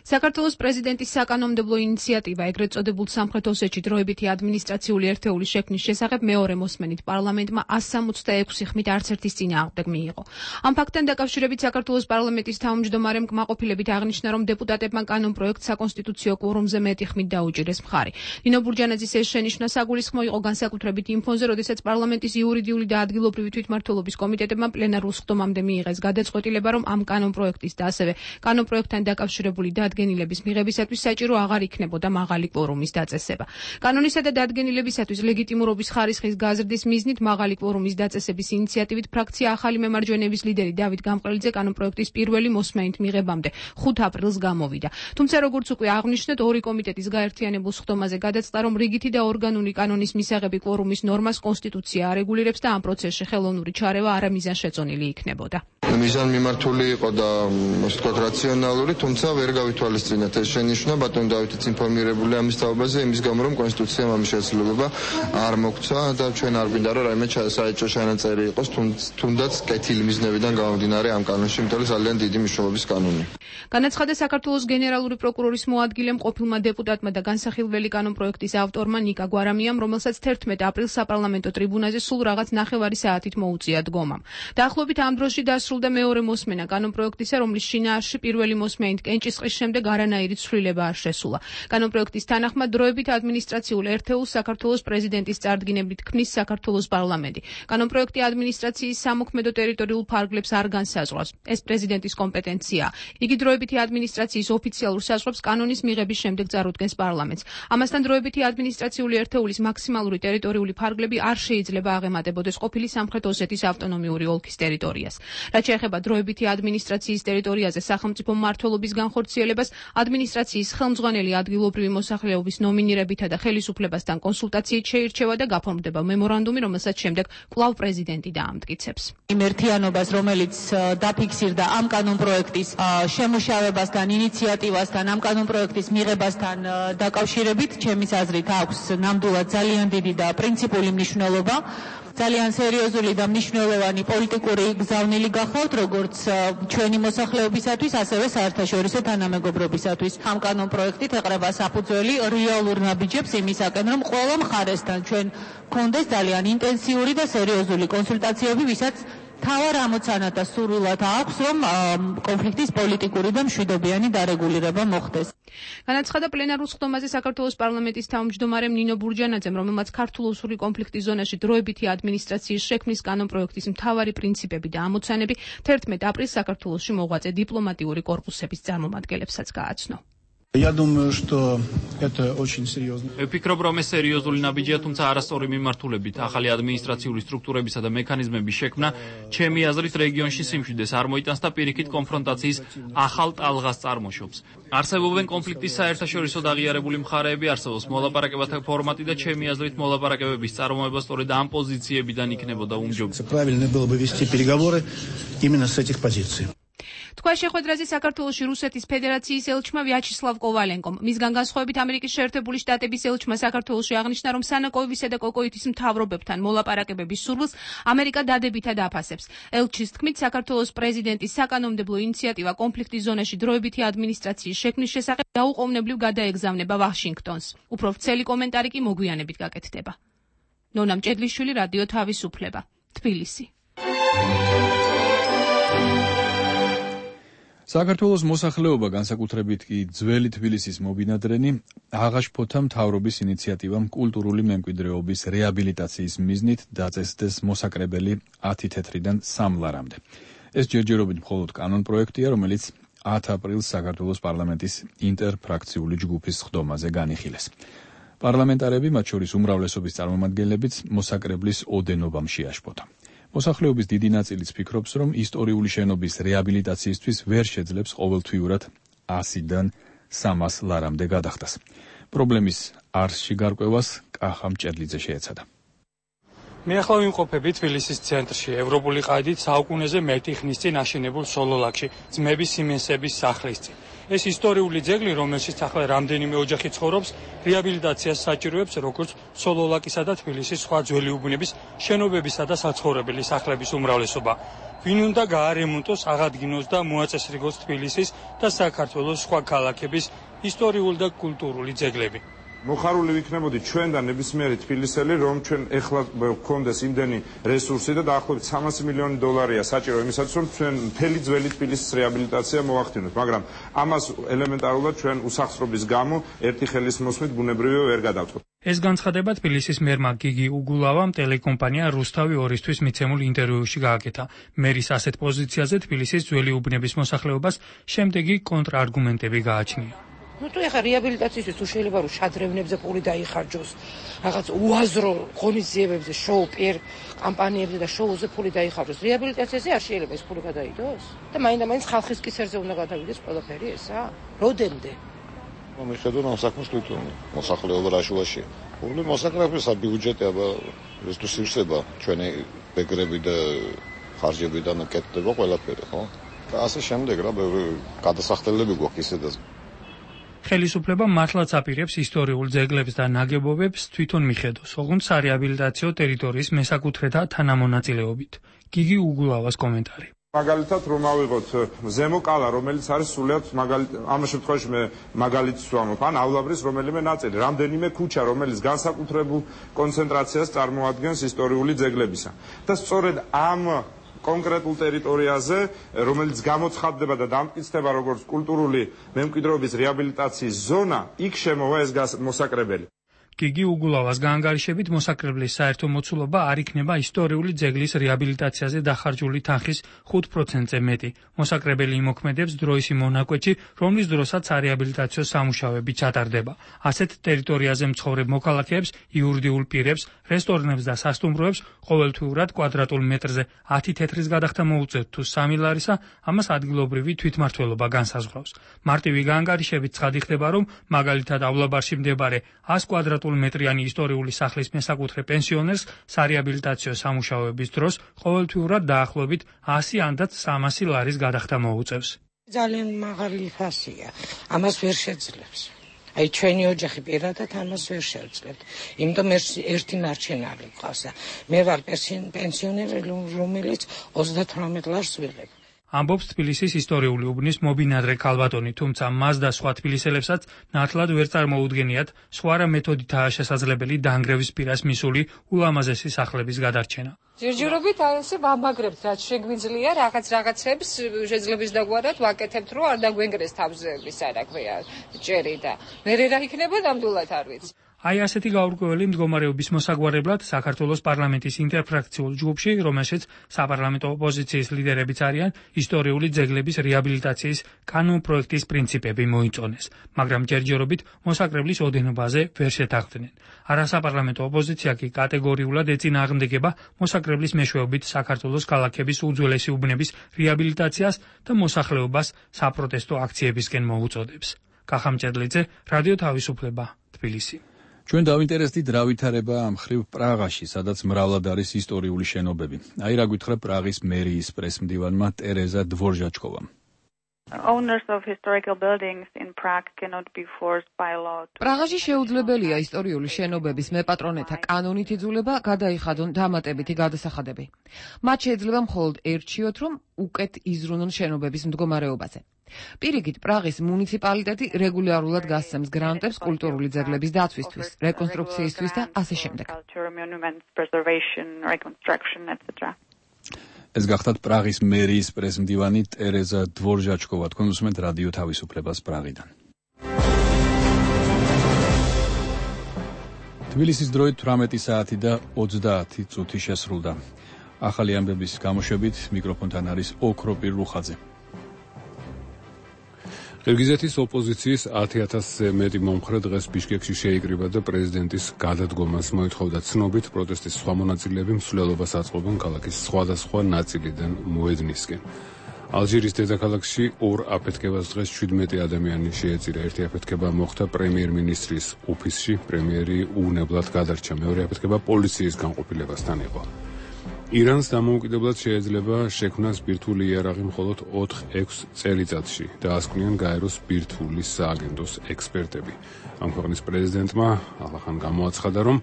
საქართველოს პრეზიდენტის საკანონმდებლო ინიციატივა ეგრეთ წოდებულ სამხრეთ ოსეთში დროებითი ადმინისტრაციული ერთეულის შექმნის შესახებ მეორე მოსმენით პარლამენტმა 166 ხმით არც ერთის წინააღმდეგ მიიღო. ამ ფაქტთან დაკავშირებით საქართველოს პარლამენტის თავმჯდომარემ კმაყოფილებით აღნიშნა, რომ დეპუტატებმა კანონპროექტს საკონსტიტუციო კვორუმზე მეტი ხმით დაუჭირეს მხარი. ნინო ბურჯანაძის ეს შენიშვნა საგულისხმო იყო განსაკუთრებით იმ ფონზე, როდესაც პარლამენტის იურიდიული და ადგილობრივი თვითმმართველობის კომიტეტებმა პლენარულ ხდომამდე მიიღეს გადაწყვეტილება, რომ ამ კანონპროექტის და ასევე კანონპროექტთან დაკავშირებული დადგენილების მიღებისათვის საჭირო აღარ იქნებოდა მაღალი კვორუმის დაწესება. კანონისა და დადგენილებისათვის ლეგიტიმურობის ხარისხის გაზრდის მიზნით მაღალი კვორუმის დაწესების ინიციატივით ფრაქცია ახალი მემარჯვენეების ლიდერი დავით გამყრელიძე კანონპროექტის პირველი მოსმენით მიღებამდე 5 აპრილს გამოვიდა. თუმცა როგორც უკვე აღნიშნეთ, ორი კომიტეტის გაერთიანებულ ხდომაზე გადაწყდა, რომ რიგითი და ორგანული კანონის მისაღები კვორუმის ნორმას კონსტიტუცია არეგულირებს და ამ პროცესში ხელოვნური ჩარევა არამიზანშეწონილი იქნებოდა. მიზანმიმართული იყო და ასე ვთქვათ რაციონალური, თუმცა ვერ გავითვალისწინეთ ეს შენიშვნა. ბატონ დავითიც ინფორმირებული ამის თაობაზე, იმის გამო რომ კონსტიტუციამ ამის შესაძლებლობა არ მოგცა და ჩვენ არ გვინდა რომ რაიმე საეჭვო ჩანაწერი იყოს, თუნდაც კეთილი მიზნებიდან გამომდინარე ამ კანონში, იმიტომ რომ ძალიან დიდი მნიშვნელობის კანონია. განაცხადა საქართველოს გენერალური პროკურორის მოადგილემ ყოფილმა დეპუტატმა და განსახილველი კანონპროექტის ავტორმა ნიკა გვარამიამ, რომელსაც 11 აპრილს საპარლამენტო ტრიბუნაზე სულ რაღაც ნახევარი საათით მოუწია დგომამ. დაახლოებით ამ დროში დასრულდა მეორე მოსმენა კანონპროექტისა, რომლის შინაარსში პირველი მოსმენით კენჭისყრის შემდეგ არანაირი ცვლილება არ შესულა. კანონპროექტის თანახმად დროებით ადმინისტრაციულ ერთეულს საქართველოს პრეზიდენტის წარდგინებით ქმნის საქართველოს პარლამენტი. კანონპროექტი ადმინისტრაციის სამოქმედო ტერიტორიულ ფარგლებს არ განსაზღვრავს. ეს პრეზიდენტის კომპეტენციაა. იგი დროებითი ადმინისტრაციის ოფიციალურ საზღვრებს კანონის მიღების შემდეგ წარუდგენს პარლამენტს. ამასთან დროებითი ადმინისტრაციული ერთეულის მაქსიმალური ტერიტორიული ფარგლები არ შეიძლება აღემატებოდეს ყოფილი სამხრეთ ოსეთის ავტონომიური ოლქის ტერიტორიას. რაც შეეხება დროებითი ადმინისტრაციის ტერიტორიაზე სახელმწიფო მმართველობის განხორციელებას, ადმინისტრაციის ხელმძღვანელი ადგილობრივი მოსახლეობის ნომინირებითა და ხელისუფლებასთან კონსულტაციით შეირჩევა და გაფორმდება მემორანდუმი, რომელსაც შემდეგ კვლავ პრეზიდენტი დაამტკიცებს. იმ ერთიანობას, რომელიც დაფიქსირდა ამ კანონპროექტის შემუშავებასთან, ინიციატივასთან, ამ კანონპროექტის მიღებასთან დაკავშირებით, ჩემის აზრით აქვს ნამდვილად ძალიან დიდი და პრინციპული მნიშვნელობა. ძალიან სერიოზული და მნიშვნელოვანი პოლიტიკური გზავნილი გახავთ, როგორც ჩვენი მოსახლეობისათვის, ასევე საერთაშორისო თანამეგობრობისათვის. ამ კანონპროექტით ეყრება საფუძველი რეალურ ნაბიჯებს იმისაკენ, რომ ყველა მხარესთან ჩვენ გქონდეს ძალიან ინტენსიური და სერიოზული კონსულტაციები, ვისაც თავარ ამოცანად და სურვილად აქვს, რომ კონფლიქტის პოლიტიკური და მშვიდობიანი დარეგულირება მოხდეს. განაცხადა პლენარულ ხდომაზე საქართველოს პარლამენტის თავმჯდომარემ ნინო ბურჯანაძემ, რომელმაც ქართულ-ოსური კონფლიქტის ზონაში დროებითი ადმინისტრაციის შექმნის კანონპროექტის მთავარი პრინციპები და ამოცანები 11 აპრილს საქართველოში მოღვაწე დიპლომატიური კორპუსების წარმომადგენლებსაც გააცნო. Я думаю, что это очень серьезно. ვფიქრობ, რომ ეს სერიოზული ნაბიჯია, თუმცა არასწორი მიმართულებით ახალი ადმინისტრაციული სტრუქტურებისა და მექანიზმების შექმნა, ჩემი აზრით, რეგიონში სიმშვიდეს არ მოიტანს და პირიქით კონფრონტაციის ახალ ტალღას წარმოშობს. არსებობენ კონფლიქტის საერთაშორისო დაღიარებული მხარეები, არსებობს მოლაპარაკებათა ფორმატი და ჩემი აზრით, მოლაპარაკებების წარმოება სწორედ ამ პოზიციებიდან იქნებოდა უმჯობესი. Правильно было бы вести переговоры именно с этих позиций. თქვა შეხვედრაზე საქართველოში რუსეთის ფედერაციის ელჩმა ვიაჩესლავ კოვალენკომ. მისგან განსხვავებით ამერიკის შეერთებული შტატების ელჩმა საქართველოში აღნიშნა, რომ სანაკოევისა და კოკოიტის მთავრობებთან მოლაპარაკებების სურვილს ამერიკა დადებითად აფასებს. ელჩის თქმით, საქართველოს პრეზიდენტის საკანონმდებლო ინიციატივა კონფლიქტის ზონაში დროებითი ადმინისტრაციის შექმნის შესახებ დაუყოვნებლივ გადაეგზავნება ვაშინგტონს. უფრო ვრცელი კომენტარი კი მოგვიანებით გაკეთდება. ნონა მჭედლიშვილი, რადიო თავისუფლება, თბილისი. საქართველოს მოსახლეობა, განსაკუთრებით კი ძველი თბილისის მობინადრენი, აღაშფოთა მთავრობის ინიციატივამ კულტურული მემკვიდრეობის რეაბილიტაციის მიზნით დაწესდეს მოსაკრებელი 10 თეთრიდან 3 ლარამდე. ეს ჯერჯერობით მხოლოდ კანონპროექტია, რომელიც 10 აპრილს საქართველოს პარლამენტის ინტერფრაქციული ჯგუფის სხდომაზე განიხილეს. პარლამენტარები, მათ შორის უმრავლესობის წარმომადგენლებიც, მოსაკრებლის ოდენობამ შეაშფოთა. მოსახლეობის დიდი ნაწილიც ფიქრობს, რომ ისტორიული შენობის რეაბილიტაციისთვის ვერ შეძლებს ყოველთვიურად 100-დან 300 ლარამდე გადახდას. პრობლემის არსში გარკვევას კახა მჭედლიძე შეეცადა. მე ახლა ვიმყოფები თბილისის ცენტრში, ევროპული ყაიდით საუკუნეზე მეტი ხნის წინ აშენებულ სოლოლაკში, ძმების სიმენსების სახლის წინ. ეს ისტორიული ძეგლი, რომელშიც ახლა რამდენიმე ოჯახი ცხოვრობს, რეაბილიტაციას საჭიროებს როგორც სოლოლაკისა და თბილისის სხვა ძველი უბნების შენობებისა და საცხოვრებელი სახლების უმრავლესობა. ვინ უნდა გაარემონტოს, აღადგინოს და მოაწესრიგოს თბილისის და საქართველოს სხვა ქალაქების ისტორიული და კულტურული ძეგლები. მოხარული ვიქნებოდი ჩვენ და ნებისმიერი თბილისელი, რომ ჩვენ ეხლა გვქონდეს იმდენი რესურსი და დაახლოებით 300 მილიონი დოლარია საჭირო იმისათვის, რომ ჩვენ მთელი ძველი თბილისის რეაბილიტაცია მოვახდინოთ, მაგრამ ამას ელემენტარულად ჩვენ უსახსრობის გამო ერთი ხელის მოსმით ბუნებრივია ვერ გადავწყვეტ. ეს განცხადება თბილისის მერმა გიგი უგულავამ ტელეკომპანია რუსთავი 2-ისთვის მიცემულ ინტერვიუში გააკეთა. მერის ასეთ პოზიციაზე თბილისის ძველი უბნების მოსახლეობას შემდეგი კონტრარგუმენტები გააჩნია. თუ ეხა რეაბილიტაციისთვის თუ შეიძლება რომ შადრევნებზე პული დაიხარჯოს, რაღაც უაზრო ღონისძიებებზე, შოუ-პიერ კამპანიებზე და შოუზე პული დაიხარჯოს, რეაბილიტაციაზე არ შეიძლება ეს პული გადაიდოს? და მაინდა-მაინც ხალხის კისერზე უნდა გადავიდეს ყველაფერი ესა? როდემდე? მიხედავ ამ საქმეს თვითონ მოსახლეობა რაშუაშია. პული მოსაკრების ბიუჯეტი აბა ეს თუ სივსება ჩვენი ბეგრები და ხარჯებიდან კეთდება ყველაფერი, ხო? და ასე შემდეგ რა გადასახდელები გვაქვს ისედაც. ხელისუფლება მართლაც აპირებს ისტორიულ ძეგლებს და ნაგებობებს თვითონ მიხედოს, ოღონდ სარეაბილიტაციო ტერიტორიის მესაკუთრეთა თანამონაწილეობით. გიგი უგულავას კომენტარი. მაგალითად რომ ავიღოთ ზემო კალა, რომელიც არის სულიად ამ შემთხვევაში მე მაგალითს ვამბობ, ანავლაბრის რომელიმე ნაწილი, რამდენიმე ქუჩა, რომელიც განსაკუთრებულ კონცენტრაციას წარმოადგენს ისტორიული ძეგლებისა. და სწორედ ამ კონკრეტულ ტერიტორიაზე, რომელიც გამოცხადდება და დამტკიცდება როგორც კულტურული მემკვიდრეობის რეაბილიტაციის ზონა, იქ შემოვა ეს მოსაკრებელი. გიგი უგულავას გაანგარიშებით მოსაკრებლის საერთო მოცულობა არ იქნება ისტორიული ძეგლის რეაბილიტაციაზე დახარჯული თანხის 5%-ზე მეტი. მოსაკრებელი იმოქმედებს დროის იმ მონაკვეთში, რომლის დროსაცარეაბილიტაციო სამუშაოები ჩატარდება. ასეთ ტერიტორიაზე მცხოვრებ მოქალაქეებს, იურიდიულ პირებს, რესტორნებს და სასტუმროებს ყოველთვიურად კვადრატულ მეტრზე 10 თეთრის გადახდა მოუწევთ თუ 3 ლარისა, ამას ადგილობრივი თვითმმართველობა განსაზღვრავს. მარტივი გაანგარიშებით ცხადი ხდება, რომ მაგალითად ავლაბარში მდებარე 100 კვადრატულ მეტრიანი ისტორიული სახლის მესაკუთრე პენსიონერს სარეაბილიტაციო სამუშაოების დროს ყოველთვიურად დაახლოებით 100 ანდაც 300 ლარის გადახდა მოუწევს. ძალიან მაღალი ფასია. ამას ვერ შეძლებს. აი ჩვენი ოჯახი პირადად ამას ვერ შევძლებთ. იმიტომ ერთი მარჩენალი ყავს და მე ვარ პენსიონერი, რომელიც 38 ლარს ვიღებ. ამბობს თბილისის ისტორიული უბნის მობინადრე ქალბატონი, თუმცა მას და სხვა თბილისელებსაც ნათლად ვერ წარმოუდგენიათ სხვა რა მეთოდითაა შესაძლებელი დანგრევის პირას მისული ულამაზესი სახლების გადარჩენა. ჯერჯერობით ასე ვამაგრებთ, რაც შეგვიძლია რაღაცებს შეძლების დაგვარად ვაკეთებთ, რომ არ დაგვენგრეს თავზების, არა ქვია, ჭერი და მე რა იქნება ნამდვილად არ ვიცი. აი ასეთი გაურკვეველი მდგომარეობის მოსაგვარებლად საქართველოს პარლამენტის ინტერფრაქციულ ჯგუფში, რომელშიც საპარლამენტო ოპოზიციის ლიდერებიც არიან, ისტორიული ძეგლების რეაბილიტაციის კანონპროექტის პრინციპები მოიწონეს, მაგრამ ჯერჯერობით მოსაკრებლის ოდენობაზე ვერ შეთანხმდნენ. არასაპარლამენტო ოპოზიცია კი კატეგორიულად ეწინააღმდეგება მოსაკრებლის მეშვეობით საქართველოს ქალაქების უძველესი უბნების რეაბილიტაციას და მოსახლეობას საპროტესტო აქციებისკენ მოუწოდებს. კახა მჭედლიძე, რადიო თავისუფლება, თბილისი. ჩვენ დავინტერესდით რა ვითარება ამ ხრივ პრაღაში, სადაც მრავლად არის ისტორიული შენობები. აი რა გითხრა პრაღის მერიის პრესმდივანმა ტერეზა დვორჟაჩკოვამ. Owners of historical buildings in Prague cannot be forced by law. პრაღაში შეუძლებელია ისტორიული შენობების მეპატრონეთა კანონით იძულება გადაიხადონ დამატებითი გადასახადები. მათ შეიძლება მხოლოდ ერჩიოთ, რომ უკეთ იზრუნონ შენობების მდგომარეობაზე. პირიქით, პრაღის მუნიციპალიტეტი რეგულარულად გასცემს გრანტებს კულტურული ძეგლების დაცვისთვის, რეკონსტრუქციისთვის და ასე შემდეგ. ეს გახდათ პრაღის მერიის პრეზმდივანი ტერეზა დვორჟაჩკოვა. თქვენ უსმენთ რადიო თავისუფლებას პრაღიდან. თბილისის დროით 18 საათი და 30 წუთი შესრულდა. ახალი ამბების გამოშვებით მიკროფონთან არის ოქროპირ რუხაძე. ყირგიზეთის ოპოზიციის 10,000-ზე მეტი მომხრე დღეს ბიშკეკში შეიკრიბა და პრეზიდენტის გადადგომას მოითხოვდა. ცნობით პროტესტის სხვა მონაწილეები მსვლელობას აწყობენ ქალაქის სხვადასხვა ნაწილიდან მოედნისკენ. ალჟირის დედაქალაქში ორ აფეთქებას დღეს 17 ადამიანი შეეწირა. ერთი აფეთქება მოხდა პრემიერ-მინისტრის ოფისში, პრემიერი უვნებლად გადარჩა. მეორე აფეთქება პოლიციის განყოფილებასთან იყო. ირანს დამოუკიდებლად შეეძლება შექმნას ბირთვული იარაღი მხოლოდ 4-6 წელიწადში, დაასკვნიან გაეროს ბირთვული სააგენტოს ექსპერტები. ამ ქვეყნის პრეზიდენტმა ალახან გამოაცხადა, რომ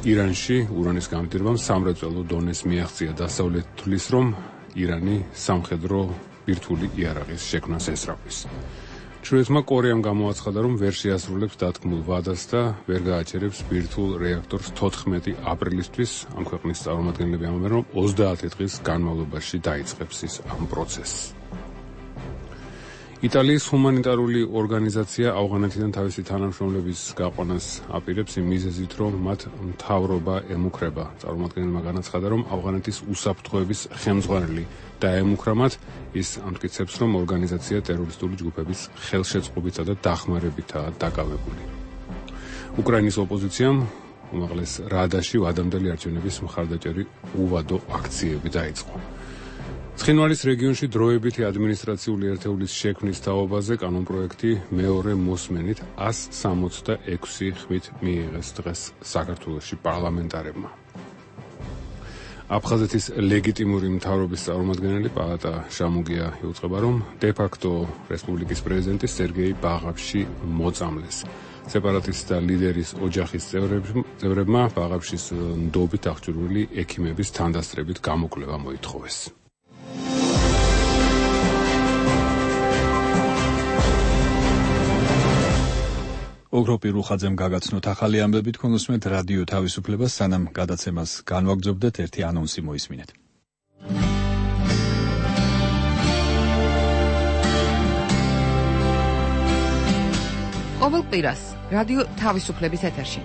ირანში ურანის გამდიდრებამ სამრეწველო დონეს მიაღწია. დასავლეთთვის, რომ ირანი სამხედრო ბირთვული იარაღის შექმნას ესწრაფვის. ჩრდილოეთმა კორეამ გამოაცხადა, რომ ვერ შეასრულებს დათქმულ ვადას და ვერ გააჩერებს ბირთვულ რეაქტორს 14 აპრილისთვის. ამ ქვეყნის წარმომადგენლები ამბობენ, რომ 30 დღის განმავლობაში დაიწყებს ის ამ პროცესს. იტალიის ჰუმანიტარული ორგანიზაცია ავღანეთიდან თავისი თანამშრომლების გაყვანას აპირებს იმ მიზეზით, რომ მათ მთავრობა ემუქრება. წარმომადგენელმა განაცხადა, რომ ავღანეთის უსაფრთხოების ხელმძღვანელი დაემუქრა მათ. ის ამტკიცებს, რომ ორგანიზაცია ტერორისტული ჯგუფების ხელშეწყობითა და დახმარებითაა დაკავებული. უკრაინის ოპოზიციამ უმაღლეს რადაში ვადამდელი არჩევნების მხარდაჭერი უვადო აქციები დაიწყო. ცხინვალის რეგიონში დროებითი ადმინისტრაციული ერთეულის შექმნის თაობაზე კანონპროექტი მეორე მოსმენით 166 ხმით მიიღეს დღეს საქართველოში პარლამენტარებმა. აფხაზეთის ლეგიტიმური მთავრობის წარმომადგენელი პალატა შამუგია იუწყება, რომ დე-ფაქტო რესპუბლიკის პრეზიდენტი სერგეი ბაღავში მოწამლეს. სეპარატისტთა ლიდერის ოჯახის წევრებმა ბაღავშის ნდობით აღჭურვილი ექიმების თანდასწრებით გამოკვლევა მოითხოვეს. ოქროპირ რუხაძემ გაგაცნოთ ახალი ამბები. თქვენ უსმენთ რადიო თავისუფლებას. სანამ გადაცემას განვაგრძობდეთ, ერთი ანონსი მოისმინეთ. ყოველ კვირას რადიო თავისუფლების ეთერში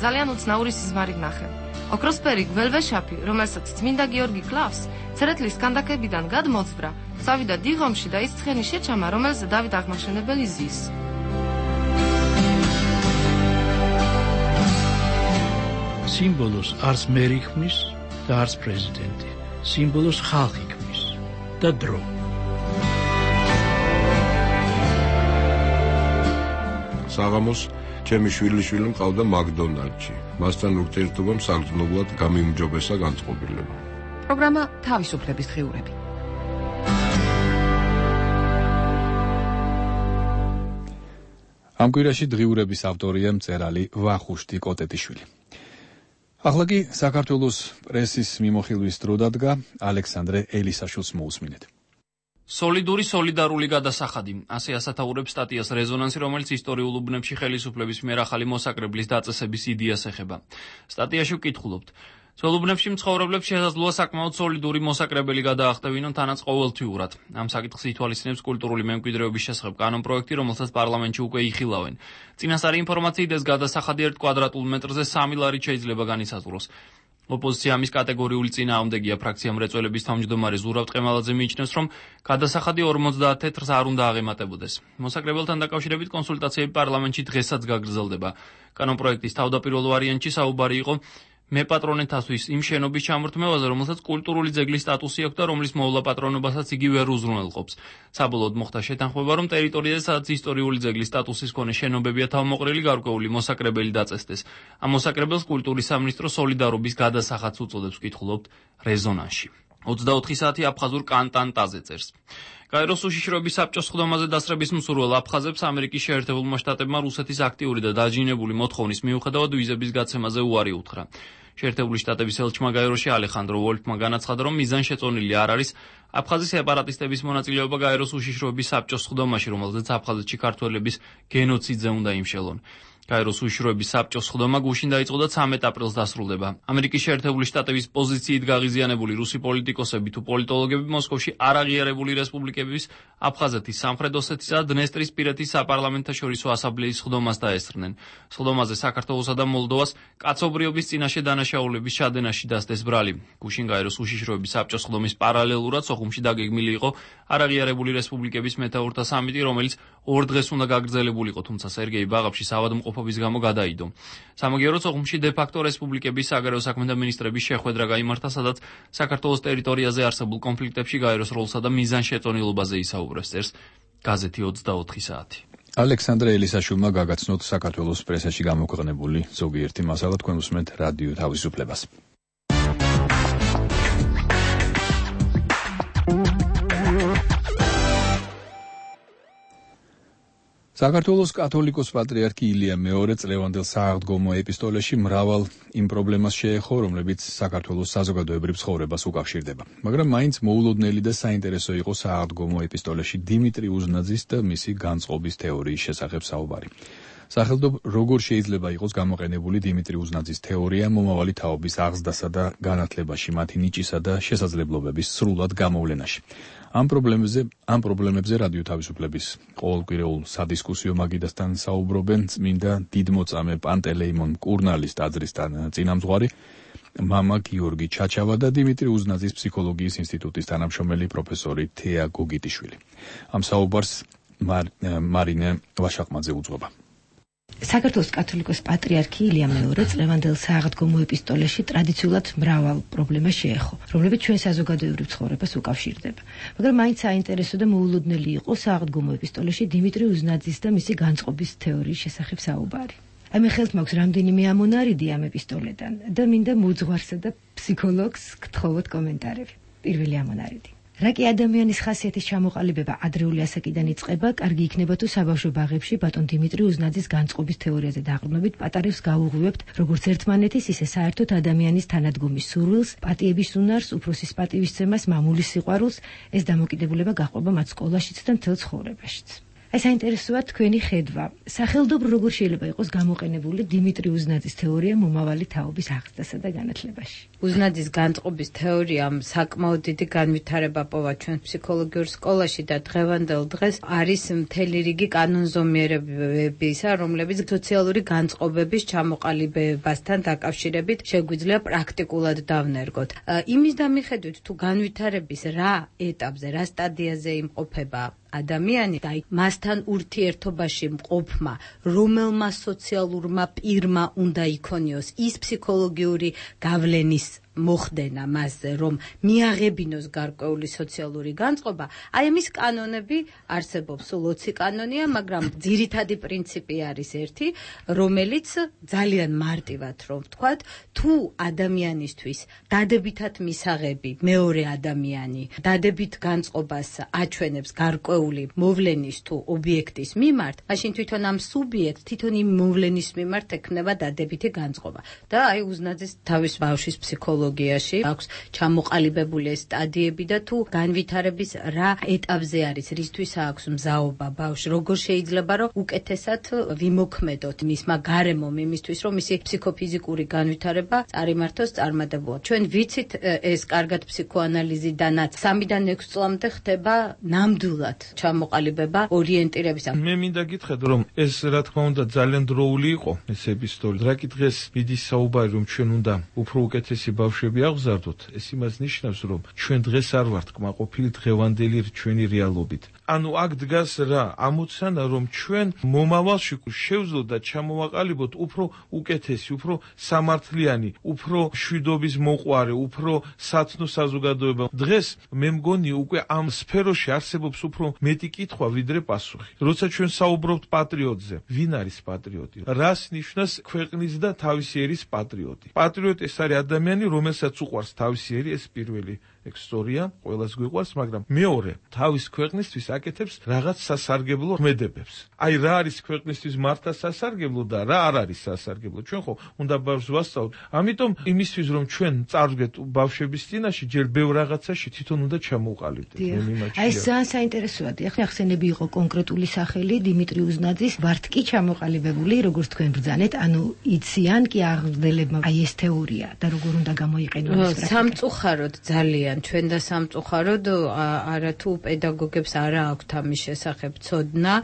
ძალიან უცნაური სიზმარი ვნახე. ოქროსფერი გველვეშაფი, რომელსაც წმინდა გიორგი კლავს, ცერეთლის კანდაკებიდან გადმოძბრა, წავიდა დიღომში და ის ცხენი შეჩამა, რომელზე დავით აღმაშენებელი ზის. სიმბოლოს არც მერი ქმნის და არც პრეზიდენტი. სიმბოლოს ხალხი ქმნის და დრო. საღამოს ჩემი შვილიშვილი მყავდა მაკდონალდში. მასთან ურთიერთობამ საგრძნობლად გამიმჯობესა განწყობილება. პროგრამა თავისუფლების დღიურები. ამ კვირაში დღიურების ავტორია მწერალი ვახუშტი კოტეტიშვილი. ახლა კი საქართველოს პრესის მიმოხილვის დრო დადგა. ალექსანდრე ელისაშვილს მოусმინეთ. სოლიდური სოლიდარული გადასახადი. ასე ასათაურებს სტატიას რეზონანსი, რომელიც ისტორიულ უბნებში ხელისუფლების მიერ ახალი მოსაკრებლის დაწესების იდეას ეხება. სტატიაში ვკითხულობთ: ძველ უბნებში მცხოვრებლებს შესაძლოა საკმაოდ სოლიდური მოსაკრებელი გადაახტევინონ თანაც ყოველთვიურად. ამ საკითხს ითვალისწინებს კულტურული მემკვიდრეობის შესახებ კანონპროექტი, რომელსაც პარლამენტში უკვე იხილავენ. წინასწარი ინფორმაციით ეს გადასახადი 1 კვადრატულ მეტრზე 3 ლარით შეიძლება განისაზღვროს. ოპოზიცია ამის კატეგორიული წინააღმდეგია. ფრაქცია მრეწველების თავმჯდომარე ზურავ ტყემალაძე მიიჩნევს, რომ გადასახადი 50 თეთრს არ უნდა აღემატებოდეს. მოსაკრებელთან დაკავშირებით კონსულტაციები პარლამენტში დღესაც გაგრძელდება. კანონპროექტის თავდაპირველ ვარიანტში საუბარი იყო მეპატრონეთასთვის იმ შენობის ჩამორთმევაზე, რომელსაც კულტურული ძეგლის სტატუსი აქვს და რომლის მოვლა პატრონობასაც იგი ვერ უზრუნველყოფს. საბოლოოდ მოხდა შეთანხმება, რომ ტერიტორიაზე, სადაც ისტორიული ძეგლის სტატუსის მქონე შენობებია თავმოყრილი, გარკვეული მოსაკრებელი დაწესდეს. ამ მოსაკრებელს კულტურის სამინისტრო სოლიდარობის გადასახადს უწოდებს, ვკითხულობთ რეზონანსში. 24 საათი აფხაზურ კანტანტაზე წერს. გაეროს უშიშროების საბჭოს სხდომაზე დასწრების მსურველ აფხაზებს ამერიკის შეერთებულმა შტატებმა რუსეთის აქტიური და დაჯინებული მოთხოვნის მიუხედავად ვიზების გაცემაზე უარი უთხრა. შეერთებული შტატების ელჩმა გაეროში ალეხანდრო ვოლფმა განაცხადა, რომ მიზანშეწონილი არ არის აფხაზის სეპარატისტების მონაწილეობა გაეროს უშიშროების საბჭოს სხდომაში, რომელზეც აფხაზეთში ქართველების გენოციდზე უნდა იმშელონ. გაეროს უშიშროების საბჭოს სხდომა გუშინ დაიწყო და 13 აპრილს დასრულდება. ამერიკის შეერთებული შტატების პოზიციით გაღიზიანებული რუსი პოლიტიკოსები თუ პოლიტოლოგები მოსკოვში არაღიარებული რესპუბლიკების აფხაზეთის, სამხრეთ ოსეთის და დნესტრისპირეთის საპარლამენტაშორისო ასამბლეის სხდომას დაესწრნენ. სხდომაზე საქართველოსა და მოლდოვას კაცობრიობის წინაშე დანაშაულების ჩადენაში დასდეს ბრალი. გუშინ გაეროს უშიშროების საბჭოს სხდომის პარალელურად სოხუმში დაგეგმილი იყო არაღიარებული რესპუბლიკების მეთაურთა სამიტი, რომელიც 2 დღეს უნდა გაგრძელებულიყო, თუმცა სერგეი ბაღავში ავადმყოფობის გამო გადაიდო. სამაგიეროდ სოხუმში დე-ფაქტო რესპუბლიკების საგარეო საქმეთა მინისტრების შეხვედრა გაიმართა, სადაც საქართველოს ტერიტორიაზე არსებულ კონფლიქტებში გაეროს როლსა და მიზანშეწონილობაზე ისაუბრეს, წერს გაზეთი 24 საათი. ალექსანდრე ელისაშვილმა გაგაცნოთ საქართველოს პრესაში გამოქვეყნებული ზოგიერთი მასალა. თქვენ უსმენთ რადიო თავისუფლებას. საქართველოს კათოლიკოს პატრიარქი ილია მეორე წლევანდელ სააღდგომო ეპისტოლეში მრავალ იმ პრობლემას შეეხო, რომლებიც საქართველოს საზოგადოებრივ ცხოვრებას უკავშირდება. მაგრამ მაინც მოულოდნელი და საინტერესო იყო სააღდგომო ეპისტოლეში დიმიტრი უზნაძის და მისი განწყობის თეორიის შესახებ საუბარი. სახელმწიფო როგორ შეიძლება იყოს გამოყენებული დიმიტრი უზნაძის თეორია მომავალი თაობის აღზრდასა და განათლებაში, მათი ნიჭისა და შესაძლებლობების სრულად გამოვლენაში. ამ პრობლემებზე რადიო თავისუფლების ყოველკვირეულ სადისკუსიო მაგიდასთან საუბრობენ წმინდა დიდმოწამე პანტელეიმონ მკურნალის ტაძრისთან წინამძღვარი მამა გიორგი ჩაჩავა და დიმიტრი უზნაძის ფსიქოლოგიის ინსტიტუტის თანამშრომელი პროფესორი თეა გოგიტიშვილი. ამ საუბარს მარინე ვაშაყმაძე უძღვება. საქართველოს კათოლიკოს პატრიარქი ილია მეორე წლევანდელ სააღდგომო ეპისტოლეში ტრადიციულად მრავალ პრობლემას შეეხო, რომლებიც ჩვენ საზოგადოებრივ ცხოვრებას უკავშირდება. მაგრამ მაინც საინტერესო და მოულოდნელი იყო სააღდგომო ეპისტოლეში დიმიტრი უზნაძის და მისი განწყობის თეორიის შესახებ საუბარი. მე ხელთ მაქვს რამდენიმე ამონარიდი ამ ეპისტოლედან და მინდა მოძღვარსა და ფსიქოლოგს გთხოვოთ კომენტარები. პირველი ამონარიდი. რა კი ადამიანის ხასიათის ჩამოყალიბება ადრეული ასაკიდან იწყება, კარგი იქნება თუ საბავშვო ბაღებში ბატონ დიმიტრი უზნაძის განწყობის თეორიაზე დაყრდნობით პატარებს გაუღვივებთ როგორც ერთმანეთის, ისე საერთოდ ადამიანის თანადგომის სურვილს, პატიების უნარს, უფროსის პატივისცემას, მამულის სიყვარულს. ეს დამოკიდებულება გაყვება მათ სკოლაშიც და მთელ ცხოვრებაშიც. ეს საინტერესოა თქვენი ხედვა. სახელმწიფო როგორ შეიძლება იყოს გამოყენებული დიმიტრი უზნაძის თეორია მომავალი თაობის აღზრდასა და განათლებაში? უზნაძის განწყობის თეორიამ საკმაოდ დიდი განვითარება პოვა ჩვენ ფსიქოლოგიურ სკოლაში და დღევანდელ დღეს არის მთელი რიგი კანონზომიერებისა, რომლებიც სოციალური განწყობების ჩამოყალიბებასთან დაკავშირებით შეგვიძლია პრაქტიკულად დავნერგოთ. იმის დამიხედვით თუ განვითარების რა ეტაპზე, რა სტადიაზე იმყოფება ადამიანი და მასთან ურთიერთობაში მყოფმა რომელმა სოციალურმა პირმა უნდა იქონიოს ის ფსიქოლოგიური გავლენის მოხდენა მასზე, რომ მიაღებინოს გარკვეული სოციალური განწყობა, აი ამის კანონები არსებობს, სულ 20 კანონია, მაგრამ ძირითადი პრინციპი არის ერთი, რომელიც ძალიან მარტივად რომ ვთქვათ, თუ ადამიანისთვის დადებითად მისაღები მეორე ადამიანი დადებით განწყობას აჩვენებს გარკვეული მოვლენის თუ ობიექტის მიმართ, მაშინ თვითონ ამ სუბიექტს თვითონ იმ მოვლენის მიმართ ექნება დადებითი განწყობა. და აი უზნაძის თავის ბავშვის ფსიქოლოგიაში აქვს ჩამოყალიბებული ეს სტადიები და თუ განვითარების რა ეტაპზე არის, რისთვის აქვს მზაობა ბავშვი, როგორ შეიძლება რომ უკეთესად ვიმოქმედოთ მისმა გარემომ იმისთვის, რომ მისი ფსიქოფიზიკური განვითარება წარიმართოს წარმატებულად. ჩვენ ვიცით ეს კარგად ფსიქოანალიზიდანაც 3-დან 6 წლამდე ხდება ნამდვილად ჩამოყალიბება ორიენტირებისა. მე მინდა გითხრათ, რომ ეს რა თქმა უნდა ძალიან დროული იყო ეს ეპისტოლე. რა კი დღეს მიდის საუბარი, რომ ჩვენ უნდა უფრო უკეთესი ბავშვები აღზარდოთ, ეს იმას ნიშნავს, რომ ჩვენ დღეს არ ვართ კმაყოფილი დღევანდელი ჩვენი რეალობით. ანუ აქ დგას რა ამოცანა, რომ ჩვენ მომავალში შევძლოთ და ჩამოვაყალიბოთ უფრო უკეთესი, უფრო სამართლიანი, უფრო შვიდობის მოყვარე, უფრო სათნო საზოგადოება. დღეს მე მგონი უკვე ამ სფეროში არსებობს უფრო მეტი კითხვა ვიდრე პასუხი. როცა ჩვენ საუბრობთ პატრიოტზე, ვინ არის პატრიოტი? რას ნიშნავს ქვეყნის და თავისი ერის პატრიოტი? პატრიოტი ეს არის ადამიანი, რომელსაც უყვარს თავისი ერი, ეს პირველი ეგ სწორია, ყველას გვიყვარს, მაგრამ მეორე, თავის ქვეყნისთვის აკეთებს რაღაც სასარგებლო ქმედებებს. აი რა არის ქვეყნისთვის მართა სასარგებლო და რა არ არის სასარგებლო. ჩვენ ხო უნდა ბავშვს ვასწავლოთ. ამიტომ იმისთვის რომ ჩვენ წარვდგეთ ბავშვების წინაშე, ჯერ ბევრ რაღაცაში თვითონ უნდა ჩამოვყალიბდეთ. აი ეს ძალიან საინტერესოა. ახლა ახსენები იყო კონკრეტული სახელი დიმიტრი უზნაძის, ვართ კი ჩამოყალიბებული, როგორც თქვენ ბრძანეთ, ანუ იციან კი აღზრდებლებმა აი ეს თეორია და როგორ უნდა გამოიყენონ ეს პრაქტიკა. სამწუხაროდ ძალიან ჩვენ და სამწუხაროდ არათუ პედაგოგებს არა აქვთ ამის შესახებ ცოდნა,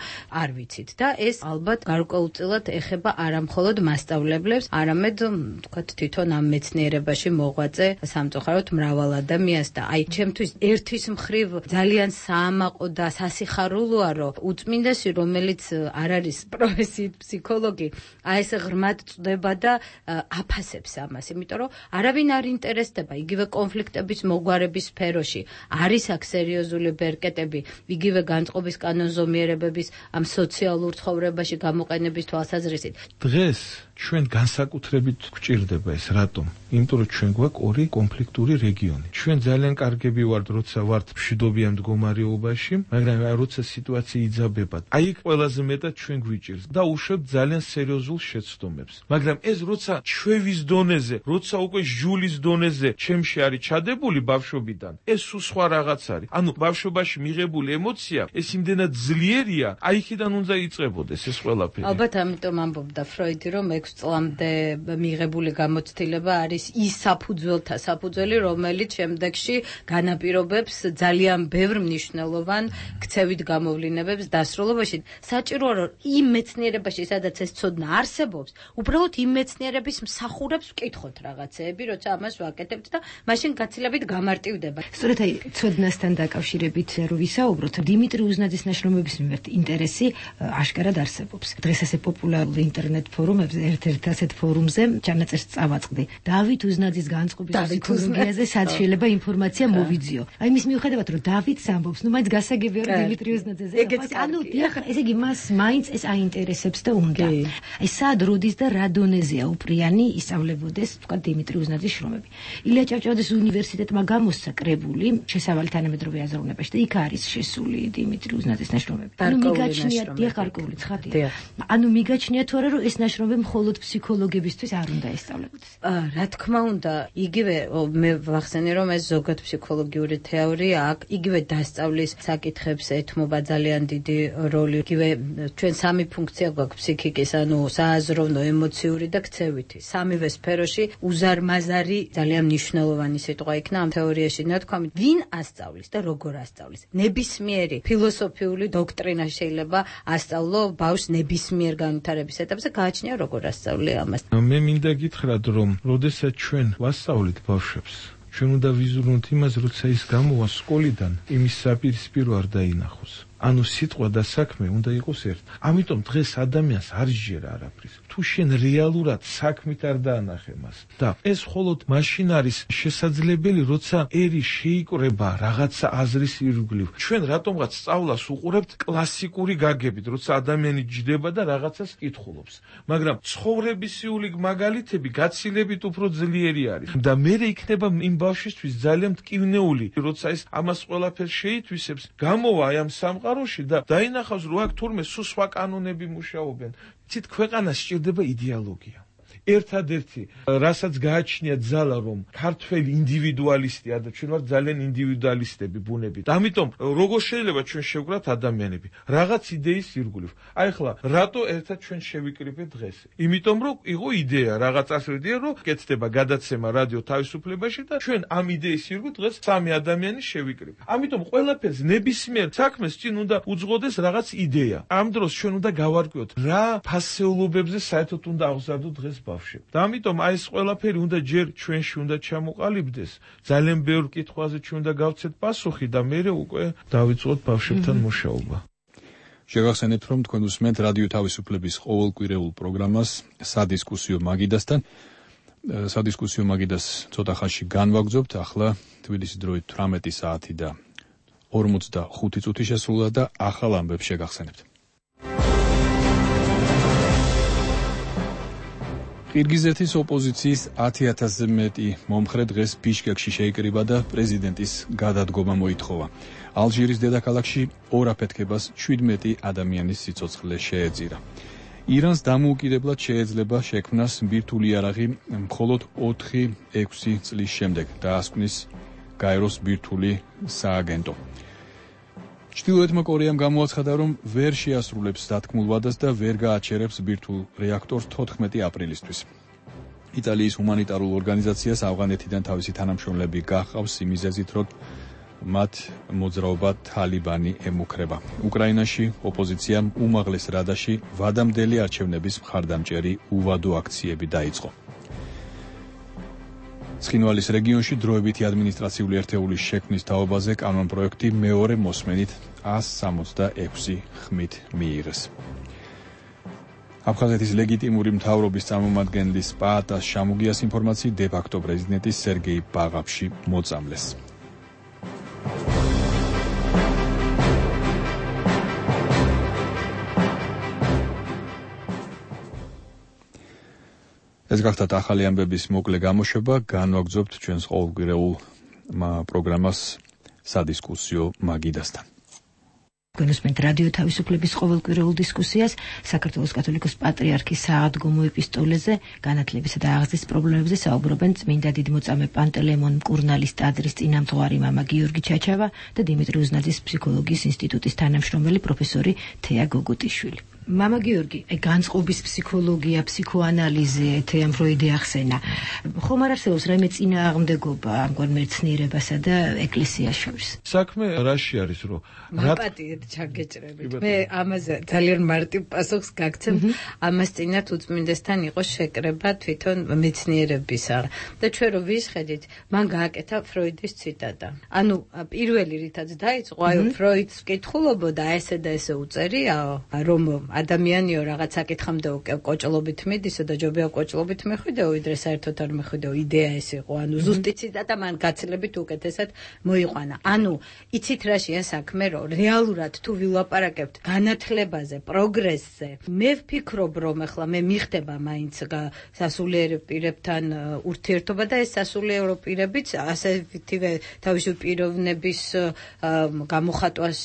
არ ვიცით და ეს ალბათ გარკვეულწილად ეხება არა მხოლოდ მასწავლებლებს, არამედ თქვათ თვითონ ამ მეცნიერებაში მოღვაწე სამწუხაროდ მრავალ ადამიანს და აი ჩემთვის ერთვის მხრივ ძალიან საამაყო და სასიხარულოა რომ უწმინდესი რომელიც არ არის პროფესიით ფსიქოლოგი აი ეს ღრმად წდება და აფასებს ამას, იმიტომ რომ არავინ არ ინტერესდება იგივე კონფლიქტების მოგვარების სფეროში არის აქ სერიოზული ბერკეტები იგივე განწყობის კანონზომიერებების ამ სოციალურ ცხოვრებაში გამოყენების თვალსაზრისით. დღეს ჩვენ განსაკუთრებით გვჭირდება ეს რატომ? იმიტომ რომ ჩვენ გვაქვს ორი კონფლიქტური რეგიონი. ჩვენ ძალიან კარგები ვართ, როცა ვართ მშვიდობიან მდგომარეობაში, მაგრამ როცა სიტუაცია იძაბება, აი იქ ყველაზე მეტად ჩვენ გვიჭირს და უშვებთ ძალიან სერიოზულ შეცდომებს. მაგრამ ეს როცა ჩვევის დონეზე, როცა უკვე ჟულის დონეზე ჩემში არის ჩადებული ბავშვობიდან, ეს სხვა რაღაც არის. ანუ ბავშვობაში მიღებული ემოცია, ეს იმდენად ძლიერია, აი იქიდან უნდა იწყებოდეს ეს ყველაფერი. ალბათ ამიტომ ამბობდა ფროიდი, რომ 6 წლამდე მიღებული გამოცდილება არის ის საფუძველთა საფუძველი, რომელიც შემდეგში განაპირობებს ძალიან ბევრ მნიშვნელოვან ქცევით გამოვლინებებს დასრულებაში. საჭიროა რომ იმ მეცნიერებაში, სადაც ეს ცოდნა არსებობს, უბრალოდ იმ მეცნიერების მსახურებს ვკითხოთ რაღაცეები, როცა ამას ვაკეთებთ და მაშინ გაცილებით გამარტივდება. სწორედ აი ცოდნასთან დაკავშირებით რო ვისაუბროთ, დიმიტრი უზნაძის ნაშრომების მიმართ ინტერესი აშკარად არსებობს. დღეს ასე პოპულარულ ინტერნეტ ფორუმებზე ერთ-ერთ ასეთ ფორუმზე ჩანაწერს წავაწყდი. დავით უზნაძის განწყობის ფსიქოლოგიაზე სად შეიძლება ინფორმაცია მოვიძიო. აი მის მიუხედავად რომ დავითს ამბობს, ნუ მაინც გასაგებია რომ დიმიტრი უზნაძეზე. ანუ დიახ, ესე იგი მას მაინც ეს აინტერესებს და უნდა. აი სად როდის და რა დონეზეა უპრიანი ისწავლებოდეს თქვა დიმიტრი უზნაძის შრომები. ილია ჭავჭავაძის უნივერსიტეტმა გამოსცა კრებული შესავალი თანამედროვე აზროვნებაში და იქ არის შესული დიმიტრი უზნაძის ნაშრომები. ანუ მიგაჩნია დიახ გარკვეული ცხადია. ანუ მიგაჩნია თუ არა რომ ეს ნაშრომები მხოლოდ ფსიქოლოგებისთვის არ უნდა ესწავლებოდეს. რა თქმა უნდა, იგივე მე ვახსენე რომ ეს ზოგად ფსიქოლოგიური თეორია აქ იგივე დასწავლის საკითხებს ეთმობა ძალიან დიდი როლი. იგივე ჩვენ სამი ფუნქცია გვაქვს ფსიქიკის, ანუ სააზროვნო, ემოციური და ქცევითი. სამივე სფეროში უზარმაზარი ძალიან მნიშვნელოვანი სიტყვა იქნა ამ თეორიაში ნათქვამი. ვინ ასწავლის და როგორ ასწავლის? ნებისმიერი ფილოსოფიული დოქტრინა შეიძლება ასწავლო ბავშვს ნებისმიერ განვითარების ეტაპზე, გააჩნია როგორ ასწავლე ამას. მე მინდა გითხრათ რომ როდესაც ჩვენ ვასწავლით ბავშვებს, ჩვენ უნდა ვიზრუნოთ იმას, როცა ის გამოვა სკოლიდან, იმის საპირისპირო არ დაინახოს. ანუ სიტყვა და საქმე უნდა იყოს ერთ. ამიტომ დღეს ადამიანს არ ჟერა არაფრის. თუ შენ რეალურად საქმით არ დაანახე მას და ეს მხოლოდ მაშინ არის შესაძლებელი, როცა ერი შეიკრება რაღაცა აზრის ირგვლივ. ჩვენ რატომღაც სწავლას უყურებთ კლასიკური გაგებით, როცა ადამიანი ჯდება და რაღაცას კითხულობს. მაგრამ ცხოვრებისეული მაგალითები გაცილებით უფრო ძლიერი არის. და მე იქნება იმ ბავშვისთვის ძალიან მტკივნეული, როცა ეს ამას ყველაფერს შეითვისებს, გამოვა აი ამ სამყაროში და დაინახავს, რომ აქ თურმე სულ სხვა კანონები მუშაობენ. ცით ქვეყანას სჭირდება იდეოლოგია. ერთადერთი, რასაც გააჩნია ძალა, რომ ქართველი ინდივიდუალისტია და ჩვენ ვართ ძალიან ინდივიდუალისტები ბუნებით. ამიტომ როგორ შეიძლება ჩვენ შევკრათ ადამიანები რაღაც იდეის ირგვლივ. აი ხლა რატო ერთად ჩვენ შევიკრიბეთ დღეს? იმიტომ რომ იყო იდეა, რაღაც ასე იდეა, რომ კეთდება გადაცემა რადიო თავისუფლებაში და ჩვენ ამ იდეის ირგვლივ დღეს სამი ადამიანი შევიკრიბეთ. ამიტომ ყველაფერს ნებისმიერ საქმეს წინ უნდა უძღოდეს რაღაც იდეა. ამ დროს ჩვენ უნდა გავარკვიოთ რა ფასეულობებზე საერთოდ უნდა აღზარდოთ დღეს და ამიტომ აი ეს ყველაფერი უნდა ჯერ ჩვენში უნდა ჩამოყალიბდეს. ძალიან ბევრ კითხვაზე ჩვენ უნდა გავცეთ პასუხი და მერე უკვე დავიწყოთ ბავშვებთან მუშაობა. შეგახსენებთ, რომ თქვენ უსმენთ რადიო თავისუფლების ყოველკვირეულ პროგრამას სადისკუსიო მაგიდასთან. სადისკუსიო მაგიდას ცოტა ხანში განვაგრძობთ. ახლა თბილისის დროით 18 საათი და 45 წუთი შესრულდა და ახალ ამბებს შეგახსენებთ. ყირგიზეთის ოპოზიციის 10,000-ზე მეტი მომხრე დღეს ბიშკეკში შეიკრიბა და პრეზიდენტის გადადგომა მოითხოვა. ალჟირის დედაქალაქში ორ აფეთქებას 17 ადამიანის სიცოცხლე შეეწირა. ირანს დამოუკიდებლად შეეძლება შექმნას ბირთვული იარაღი მხოლოდ 4-6 წლის შემდეგ დაასკვნის გაეროს ბირთვული სააგენტო. ჩრდილოეთმა კორეამ გამოაცხადა, რომ ვერ შეასრულებს დათქმულ ვადას და ვერ გააჩერებს ბირთვულ რეაქტორს 14 აპრილისთვის. იტალიის ჰუმანიტარულ ორგანიზაციას ავღანეთიდან თავისი თანამშრომლები გაჰყავს იმ მიზეზით, რომ მათ მოძრაობა თალიბანი ემუქრება. უკრაინაში ოპოზიციამ უმაღლეს რადაში ვადამდელი არჩევნების მხარდამჭერი უვადო აქციები დაიწყო. ცხინვალის რეგიონში დროებითი ადმინისტრაციული ერთეულის შექმნის თაობაზე კანონპროექტი მეორე მოსმენით 166 ხმით მიიღეს. აფხაზეთის ლეგიტიმური მთავრობის წარმომადგენლის პაატას შამუგიას ინფორმაციით დე-ფაქტო პრეზიდენტი სერგეი ბაღაფში მოწამლეს. ეს გახდათ ახალი ამბების მოკლე გამოშვება, განვაგრძობთ ჩვენს ყოველკვირეულ პროგრამას სადისკუსიო მაგიდასთან. გენოსმენთ რადიო თავისუფლების ყოველკვირეულ დისკუსიას საქართველოს კათოლიკოს პატრიარქის საადგომო ეპისტოლეზე, განათლებისა და აღზრდის პრობლემებზე საუბრობენ წმინდა დიდმოწამე პანტელეიმონ მკურნალის ტაძრის წინამძღვარი მამა გიორგი ჩაჩავა და დიმიტრი უზნაძის ფსიქოლოგიის ინსტიტუტის თანამშრომელი პროფესორი თეა გოგუტიშვილი. მამა გიორგი, განწყობის ფსიქოლოგია, ფსიქოანალიზე, თეა ფროიდი ახსენა. ხომ არ არსებობს რაიმე წინააღმდეგობა ამგვარ მეცნიერებასა და ეკლესიას შორის? საქმე რაში არის, რომ მაპატიეთ ჩაგეჭრებით. მე ამაზე ძალიან მარტივ პასუხს გაგცემ. ამას წინათ უწმინდესთან იყო შეკრება თვითონ მეცნიერებისა. და ჩვენ რო ვისხედით, მან გააკეთა ფროიდის ციტატა. ანუ პირველი რითაც დაიწყო, აი ფროიდს ვკითხულობოდა, ესე და ესე უწერიაო, რომ ადამიანიო რაღაც საკითხამდე კოჭლობით მიდისო და ჯობია კოჭლობით მეხვიდეო, ვიდრე საერთოდ არ მეხვიდეო, იდეა ეს იყო. ანუ ზუსტი ციტატა მან გაცილებით უკეთესად მოიყვანა. ანუ იცით რაშია საქმე, რომ რეალურად თუ ვილაპარაკებთ განათლებაზე, პროგრესზე, მე ვფიქრობ, რომ ახლა მე მიხდება მაინც სასულიერო პირებთან ურთიერთობა და ეს სასულიერო პირებიც ასეთივე თავისი პიროვნების გამოხატვას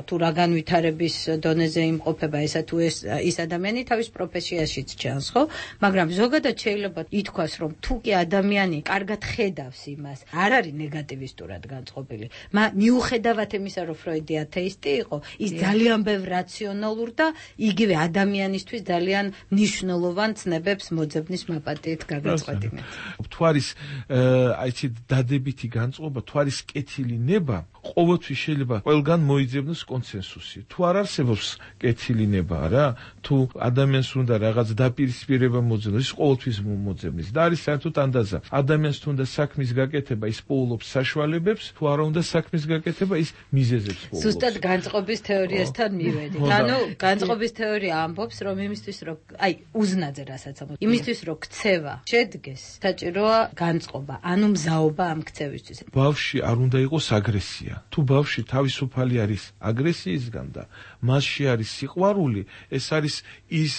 თუ რა განვითარების დონეზე იმყოფება ესა თუ ის ადამიანი თავის პროფესიაშიც ჩანს, ხო? მაგრამ ზოგადად შეიძლება ითქვას, რომ თუ კი ადამიანი კარგად ხედავს იმას, არ არის ნეგატივისტურად განწყობილი. მიუხედავად იმისა, რომ ფროიდი ათეისტი იყო, ის ძალიან ბევრ რაციონალურ და იგივე ადამიანისთვის ძალიან მნიშვნელოვან ცნებებს მოძებნის მაპატიეთ გაგაწყვეტინეთ. თუ არის აიცი დადებითი განწყობა, თუ არის კეთილი ნება, ყოველთვის შეიძლება ყველგან მოიძებნოს კონსენსუსი. თუ არ არსებობს კეთილი ნება რა, თუ ადამიანს უნდა რაღაც დაპირისპირება მოძებნოს, ის ყოველთვის მოძებნის. და არის საერთოდ ანდაზა. ადამიანს თუ უნდა საქმის გაკეთება, ის პოულობს საშუალებებს, თუ არა უნდა საქმის გაკეთება, ის მიზეზებს პოულობს. ზუსტად განწყობის თეორიასთან მივედით. ანუ განწყობის თეორია ამბობს, რომ იმისთვის რომ აი უზნაძე რასაც ამბობს, იმისთვის რომ ქცევა შედგეს, საჭიროა განწყობა, ანუ მზაობა ამ ქცევისთვის. ბავშვი არ უნდა იყოს აგრესია. თუ ბავშვი თავისუფალი არის აგრესიისგან და მასში არის სიყვარული, ეს არის ის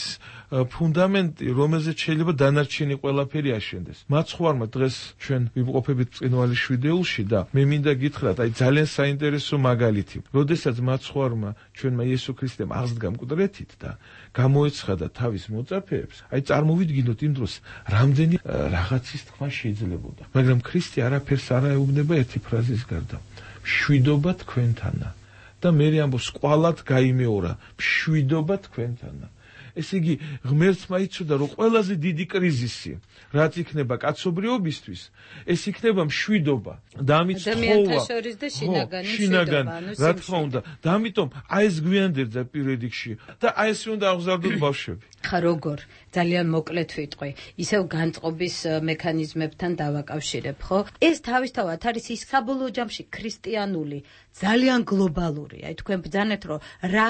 ფუნდამენტი, რომელზეც შეიძლება დანარჩენი ყველაფერი აშენდეს. მაცხვარმა დღეს ჩვენ ვიმყოფებით წყინვალის შვიდეულში და მე მინდა გითხრათ, აი ძალიან საინტერესო მაგალითი. როდესაც მაცხვარმა ჩვენმა იესო ქრისტემ აღზრდა მკვდრეთით და გამოეცხადა თავის მოწაფეებს, აი წარმოვიდგინოთ იმ დროს რამდენი რაღაცის თქმა შეიძლებოდა. მაგრამ ქრისტე არაფერს არ ეუბნება ერთი ფრაზის გარდა. მშვიდობა თქვენთანა. და მე ამბობს, ყვალად გაიმეორა, მშვიდობა თქვენთანა. ესე იგი, ღმერთმა იცოდა, რომ ყველაზე დიდი კრიზისი, რაც იქნება კაცობრიობისთვის, ეს იქნება მშვიდობა და ამით ადამიანთა შორის და შინაგანი, რა თქმა უნდა. და ამიტომ აი ეს გვიანდერძა პირედიქში და აი ეს უნდა აღზარდოთ ბავშვები. ხა როგორ ძალიან მოკლედ ვიტყვი, ისევ განწყობის მექანიზმებთან დავაკავშირებ, ხო? ეს თავისთავად არის ის საბოლოო ჯამში ქრისტიანული, ძალიან გლობალური. აი თქვენ ბრძანეთ, რომ რა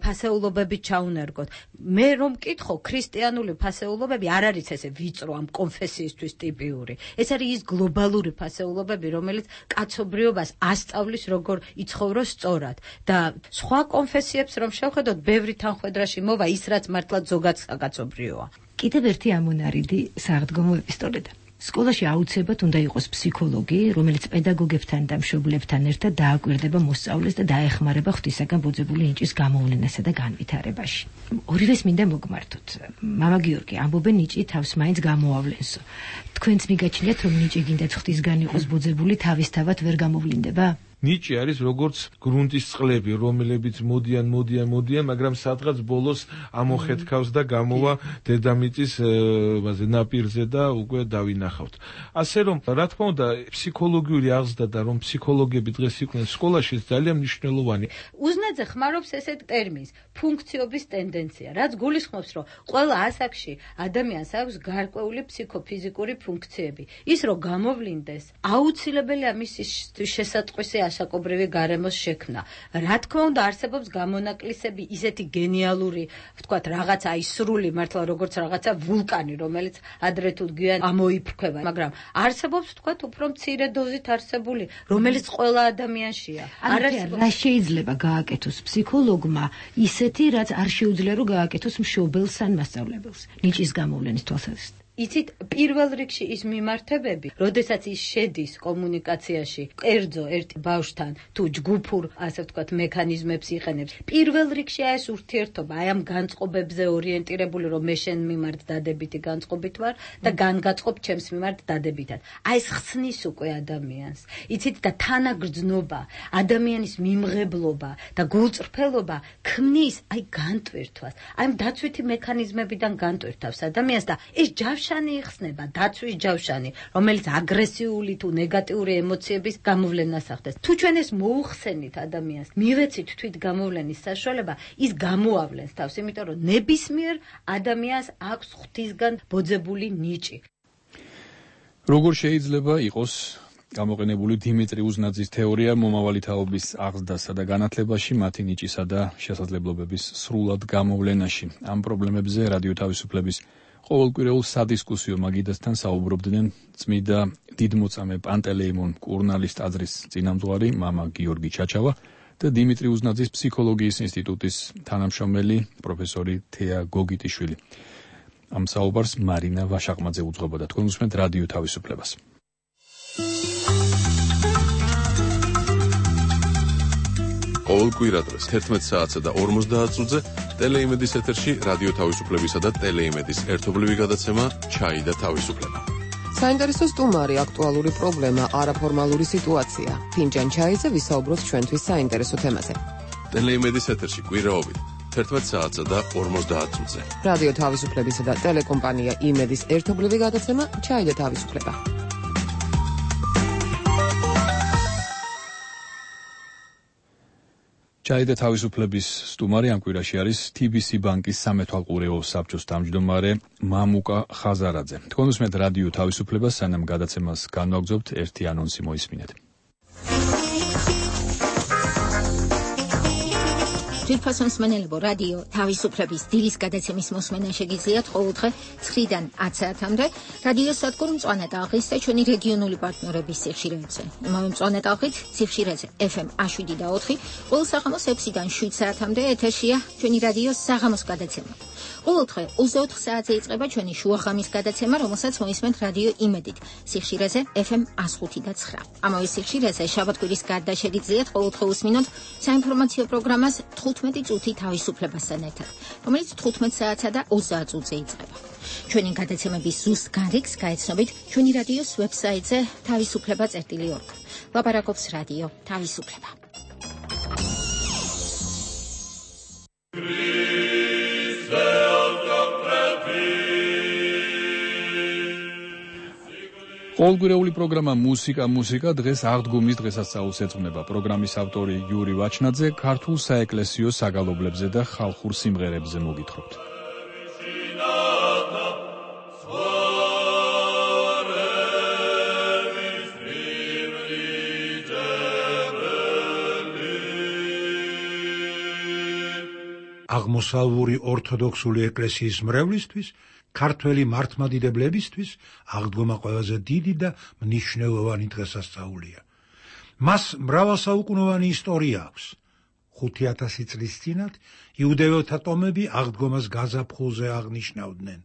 ფასეულობები ჩაუნერგოთ. მე რომ მკითხო, ქრისტიანული ფასეულობები არ არის ესე ვიწრო ამ კონფესიისთვის ტიპიური. ეს არის ის გლობალური ფასეულობები, რომელიც კაცობრიობას ასწავლის, როგორ იცხოვროს სწორად. და სხვა კონფესიებს რომ შევხედოთ, ბევრი თანხმედრაში მოვა ის, რაც მართლა ზოგად საკაცობრიოა. კიდევ ერთი ამონარიდი საღდგომო ეპისტოლედან. სკოლაში აუცილებლად უნდა იყოს ფსიქოლოგი, რომელიც პედაგოგებთან და მშობლებთან ერთად დააკვირდება მოსწავლეს და დაეხმარება ღვთისაგან ბოძებული ნიჭის გამოვლენასა და განვითარებაში. ორივეს მინდა მოგმართოთ. მამა გიორგი, ამბობენ ნიჭი თავს მაინც გამოავლენსო. თქვენც მიგაჩნიათ, რომ ნიჭი გინდათ ღვთისგან იყოს ბოძებული, თავისთავად ვერ გამოვლინდება? ნიჭი არის როგორც გრუნტის წყლები, რომლებიც მოდიან, მაგრამ სადღაც ბოლოს ამოხეთქავს და გამოვა დედამიწის ნაპირზე და უკვე დავინახავთ. ასე რომ, რა თქმა უნდა, ფსიქოლოგიური აღზრდა და რომ ფსიქოლოგები დღეს იყვნენ სკოლაში ძალიან მნიშვნელოვანი. უზნაძე ხმარობს ესეთ ტერმინს ფუნქციობის ტენდენცია, რაც გულისხმობს, რომ ყველა ასაკში ადამიანს აქვს გარკვეული ფსიქოფიზიკური ფუნქციები. ის რომ გამოვლინდეს, აუცილებელია მისი შესატყვისი ასაკობრივი გარემოს შექმნა. რა თქმა უნდა, არსებობს გამონაკლისები, ისეთი გენიალური, ვთქვათ, რაღაცა ის სრული მართლა როგორც რაღაცა ვულკანი, რომელიც ადრე თუ გვიან ამოიფრქვება, მაგრამ არსებობს, ვთქვათ, უფრო მცირე დოზით არსებული, რომელიც ყველა ადამიანშია. რა შეიძლება გააკეთოს ფსიქოლოგმა ისეთი, რაც არ შეუძლია რომ გააკეთოს მშობელს ან მასწავლებელს ნიჭის გამოვლენის თვალსაზრისით? იცით, პირველ რიგში ის მიმართებები, როდესაც ის შედის კომუნიკაციაში, კერძო ერთ ბავშვთან თუ ჯგუფურ, ასე ვთქვათ, მექანიზმებს იყენებს. პირველ რიგში ეს ურთიერთობა, აი ამ განწყობებზე ორიენტირებული, რომ მე შენ მიმართ დადებითი განწყობით ვარ და განგაწყობ ჩემს მიმართ დადებითად. აი ეს ხსნის უკვე ადამიანს. იცით, და თანაგრძნობა, ადამიანის მიმღებლობა და გულწრფელობა ქმნის აი განტვირთვას. აი ამ დაცვითი მექანიზმებიდან განტვირთავს ადამიანს და ეს ჯავშანი იხსნება, დაცვის ჯავშანი, რომელიც აგრესიული თუ ნეგატიური ემოციების გამოვლენას ახდენს. თუ ჩვენ ეს მოუხსენით ადამიანს, მივეცით თვით გამოვლენის საშუალება, ის გამოავლენს თავს, იმიტომ რომ ნებისმიერ ადამიანს აქვს ღვთისგან ბოძებული ნიჭი. როგორ შეიძლება იყოს გამოყენებული დიმიტრი უზნაძის თეორია მომავალი თაობის აღზრდასა და განათლებაში, მათი ნიჭისა და შესაძლებლობების სრულად გამოვლენაში? ამ პრობლემებზე რადიო თავისუფლების ყოველკვირეულ სადისკუსიო მაგიდასთან საუბრობდნენ წმიდა დიდმოწამე პანტელეიმონ კურნალის ტაძრის წინამძღვარი მამა გიორგი ჩაჩავა და დიმიტრი უზნაძის ფსიქოლოგიის ინსტიტუტის თანამშრომელი პროფესორი თეა გოგიტიშვილი. ამ საუბარს მარინა ვაშაყმაძე უძღვებოდა. თქვენ უსმენთ რადიო თავისუფლებას. ყოველ კვირა დღეს 11 საათსა და 50 წუთზე ტელეიმედის ეთერში რადიო თავისუფლებისა და ტელეიმედის ერთობლივი გადაცემა ჩაი და თავისუფლება. საინტერესო სტუმარი, აქტუალური პრობლემა, არაფორმალური სიტუაცია. ფინჯან ჩაიზე ვისაუბროთ ჩვენთვის საინტერესო თემაზე. ტელეიმედის ეთერში კვირაობით 11 საათსა და 50 წუთზე. რადიო თავისუფლებისა და ტელეკომპანია იმედის ერთობლივი გადაცემა ჩაი და თავისუფლება. ჩაი და თავისუფლების სტუმარი ამ კვირაში არის TBC ბანკის სამეთვალყურეო საბჭოს თავმჯდომარე მამუკა ხაზარაძე. თქვენ უსმენთ რადიო თავისუფლებას, სანამ გადაცემას განვაგრძობთ, ერთი ანონსი მოისმინეთ. თვითფასონ მსმენელებო, რადიო თავისუფლების დილის გადაცემის მოსმენა შეგიძლიათ ყოველდღე 9-დან 10 საათამდე რადიო სადგურ მწვანე ტალღის და ჩვენი რეგიონული პარტნიორების სიხშირეებზე. იმავე მწვანე ტალღით სიხშირეზე FM 7 და 4, ყოველ საღამოს 6-დან 7 საათამდე ეთერშია ჩვენი რადიოს საღამოს გადაცემა. ყოველდღე 24 საათზე იწყება ჩვენი შუახამის გადაცემა, რომელსაც მოისმენთ რადიო იმედით სიხშირეზე FM 105 და 9. ამავე სიხშირეზე შაბათ-კვირის გარდა შეგიძლიათ ყოველდღე უსმინოთ საინფორმაციო პროგრამას 15 წუთი თავისუფლებასთან ერთად, რომელიც 15 საათსა და 20 წუთზე იწყება. ჩვენი გადაცემების ზუსტ განრიგს გაეცნობით ჩვენი რადიოს ვებსაიტზე თავისუფლება.org. ლაპარაკობს რადიო თავისუფლება. ყოველკვირეული პროგრამა მუსიკა დღეს აღდგომის დღესასწაულს ეძღვნება. პროგრამის ავტორი იური ვაჩნაძე ქართულ საეკლესიო საგალობლებზე და ხალხურ სიმღერებზე მოგითხრობთ. აღმოსავლური ორთოდოქსული ეკლესიის მრევლისთვის, ქართველი მართლმადიდებლებისთვის აღდგომა ყველაზე დიდი და მნიშვნელოვანი დღესასწაულია. მას მრავალსაუკუნოვანი ისტორია აქვს. 5000 წლის წინათ იუდეველთა ტომები აღდგომას გაზაფხულზე აღნიშნავდნენ.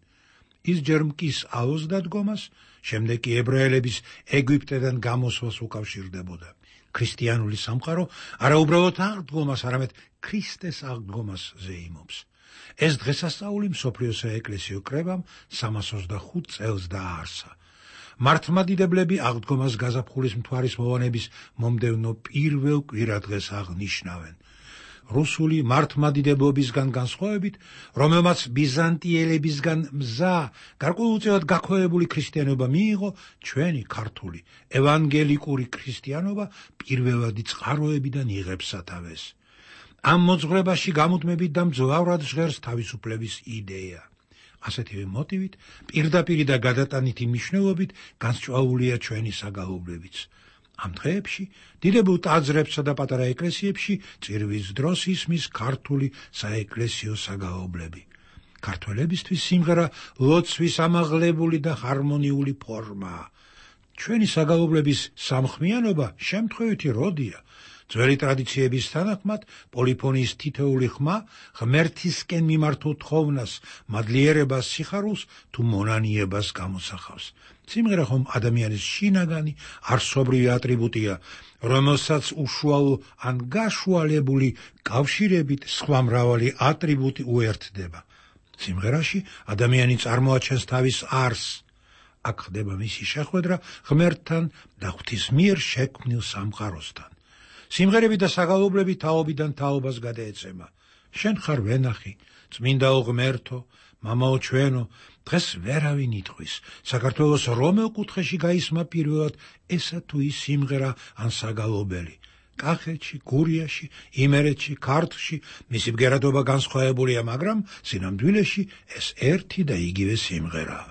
ის ჯერ მკის აოს დადგომას, შემდეგ კი ებრაელების ეგვიპტედან გამოსვლას უკავშირდებოდა. ქრისტიანული სამყარო არა უბრალოდ აღდგომას, არამედ ქრისტეს აღდგომას ზეიმობს. ეს დღესასწაული მსოფლიოს საეკლესიო კრებამ 325 წელს დააარსა. მართლმადიდებლები აღდგომას გაზაფხულის მთვარისმოვანების მომდევნო პირველ კვირადღეს აღნიშნავენ. რუსული მართლმადიდებლობისგან განსხვავებით, რომელმაც ბიზანტიელებისგან მზა, გარკვეულწილად გაქვეყნებული ქრისტიანობა მიიღო, ჩვენი ქართული ევანგელიკური ქრისტიანობა პირველადი წყაროებიდან იღებს სათავეს. ამ მოძღვრებაში გამუდმებით და მძლავრად ჟღერს თავისუფლების იდეა. ასეთივე მოტივით, პირდაპირი და გადატანითი მნიშვნელობით განსჭვალულია ჩვენი საგალობლებიც. ამ დღეებში დიდებულ ტაძრებსა და პატარა ეკლესიებში წირვის დროს ისმის ქართული საეკლესიო საგალობლები. ქართველებისთვის სიმღერა ლოცვის ამაღლებული და ჰარმონიული ფორმაა. ჩვენი საგალობლების სამხმიანობა შემთხვევითი როდია. ძველი ტრადიციების თანახმად პოლიფონიის თითოეული ხმა ღმერთისკენ მიმართულ თხოვნას, მადლიერებას, სიხარულს თუ მონანიებას გამოსახავს. სიმღერა ხომ ადამიანის შინაგანი არსობრივი ატრიბუტია, რომელსაც უშუალო ან გაშუალებული კავშირებით სხვა მრავალი ატრიბუტი უერთდება. სიმღერაში ადამიანი წარმოაჩენს თავის არსს. აქ ხდება მისი შეხვედრა ღმერთთან და ღვთის მიერ შექმნილ სამყაროსთან. სიმღერები და საგალობლები თაობიდან თაობას გადაეცემა. შენ ხარ ვენახი, წმინდაო ღმერთო, მამაო ჩვენო, დღეს ვერავინ იტყვის. საქართველოს რომელ კუთხეში გაისმა პირველად ესა თუ ის სიმღერა ან საგალობელი. კახეთში, გურიაში, იმერეთში, ქართლში მისი ბგერადობა განსხვავებულია, მაგრამ სინამდვილეში ეს ერთი და იგივე სიმღერაა.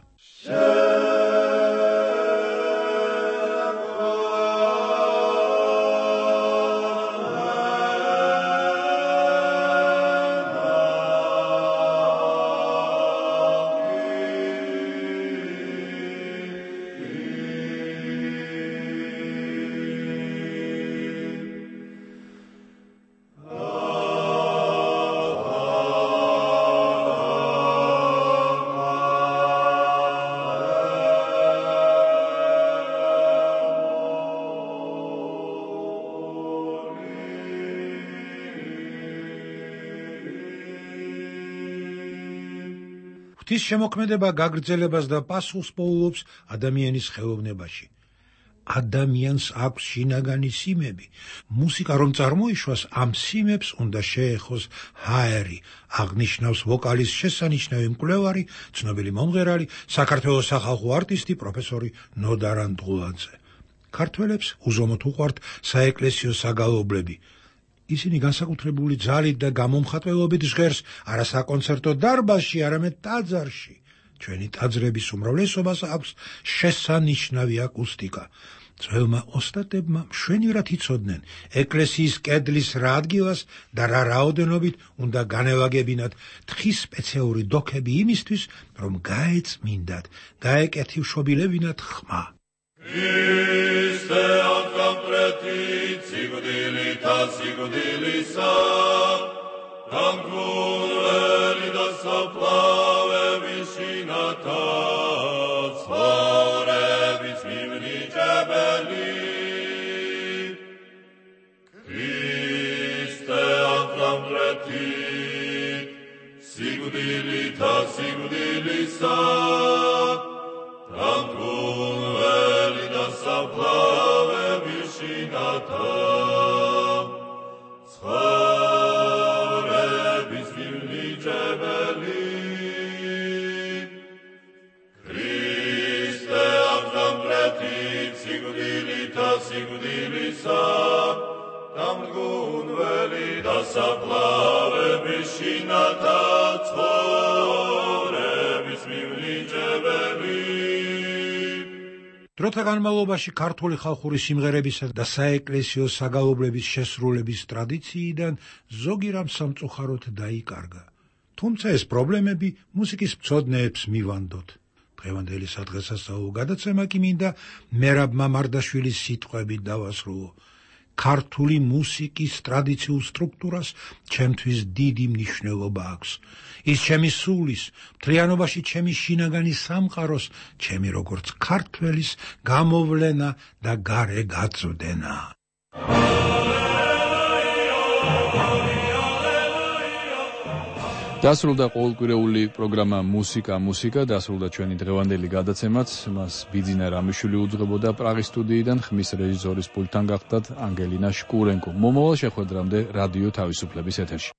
ღვთის შემოქმედება გაგრძელებას და პასუხს პოულობს ადამიანის ხელოვნებაში. ადამიანს აქვს შინაგანი სიმები. მუსიკა რომ წარმოიშვას, ამ სიმებს უნდა შეეხოს ჰაერი, აღნიშნავს ვოკალის შესანიშნავი მკვლევარი, ცნობილი მომღერალი, საქართველოს სახალხო არტისტი პროფესორი ნოდარ ანტღულაძე. ქართველებს უზომოდ უყვართ საეკლესიო საგალობლები. ისინი განსაკუთრებული ძალით და გამომხატველობით ჟღერს არა საკონცერტო დარბაზში, არამედ ტაძარში. ჩვენი ტაძრების უმრავლესობას აქვს შესანიშნავი აკუსტიკა. ძველმა ოსტატებმა მშვენივრად იცოდნენ ეკლესიის კედლის რა ადგილას და რა რაოდენობით უნდა განევაგებინათ თხის სპეციალური დოქები იმისთვის, რომ გაეწმინდათ, გაეკეთილშობილებინათ ხმა. Christe ancam pretit sigudilita sigudilisa tam veli saplave visinata svore vismivni jebeli Christe ancam pretit sigudilita sigudilisa tam Saplave vishinata, schore bismilni jebeli. Christe avram pretit sigudilita sigudilisa, tam gunveli da saplave vishinata, schore bismilni jebeli. დროთა განმავლობაში ქართული ხალხური სიმღერებისა და საეკლესიო საგალობლების შესრულების ტრადიციიდან ზოგი რამ სამწუხაროდ დაიკარგა. თუმცა ეს პრობლემები მუსიკის მცოდნეებს მივანდოთ. დღევანდელი სადღესასწაულო გადაცემა კი მინდა მერაბ მამარდაშვილის სიტყვებით დავასრულო. ქართული მუსიკის ტრადიციულ სტრუქტურას ჩემთვის დიდი მნიშვნელობა აქვს. ის ჩემი სულის, მთლიანობაში ჩემი შინაგანი სამყაროს, ჩემი როგორც ქართველის გამოვლენა და გარე გაწვდენა. დასრულდა ყოველკვირეული პროგრამა მუსიკა, დასრულდა ჩვენი დღევანდელი გადაცემაც, მას ბიძინა რამიშვილი უძღვებოდა პრაღის სტუდიიდან, ხმის რეჟისორის პულტთან გახდათ ანგელინა შკურენკო. მომავალ შეხვედრამდე რადიო თავისუფლების ეთერში.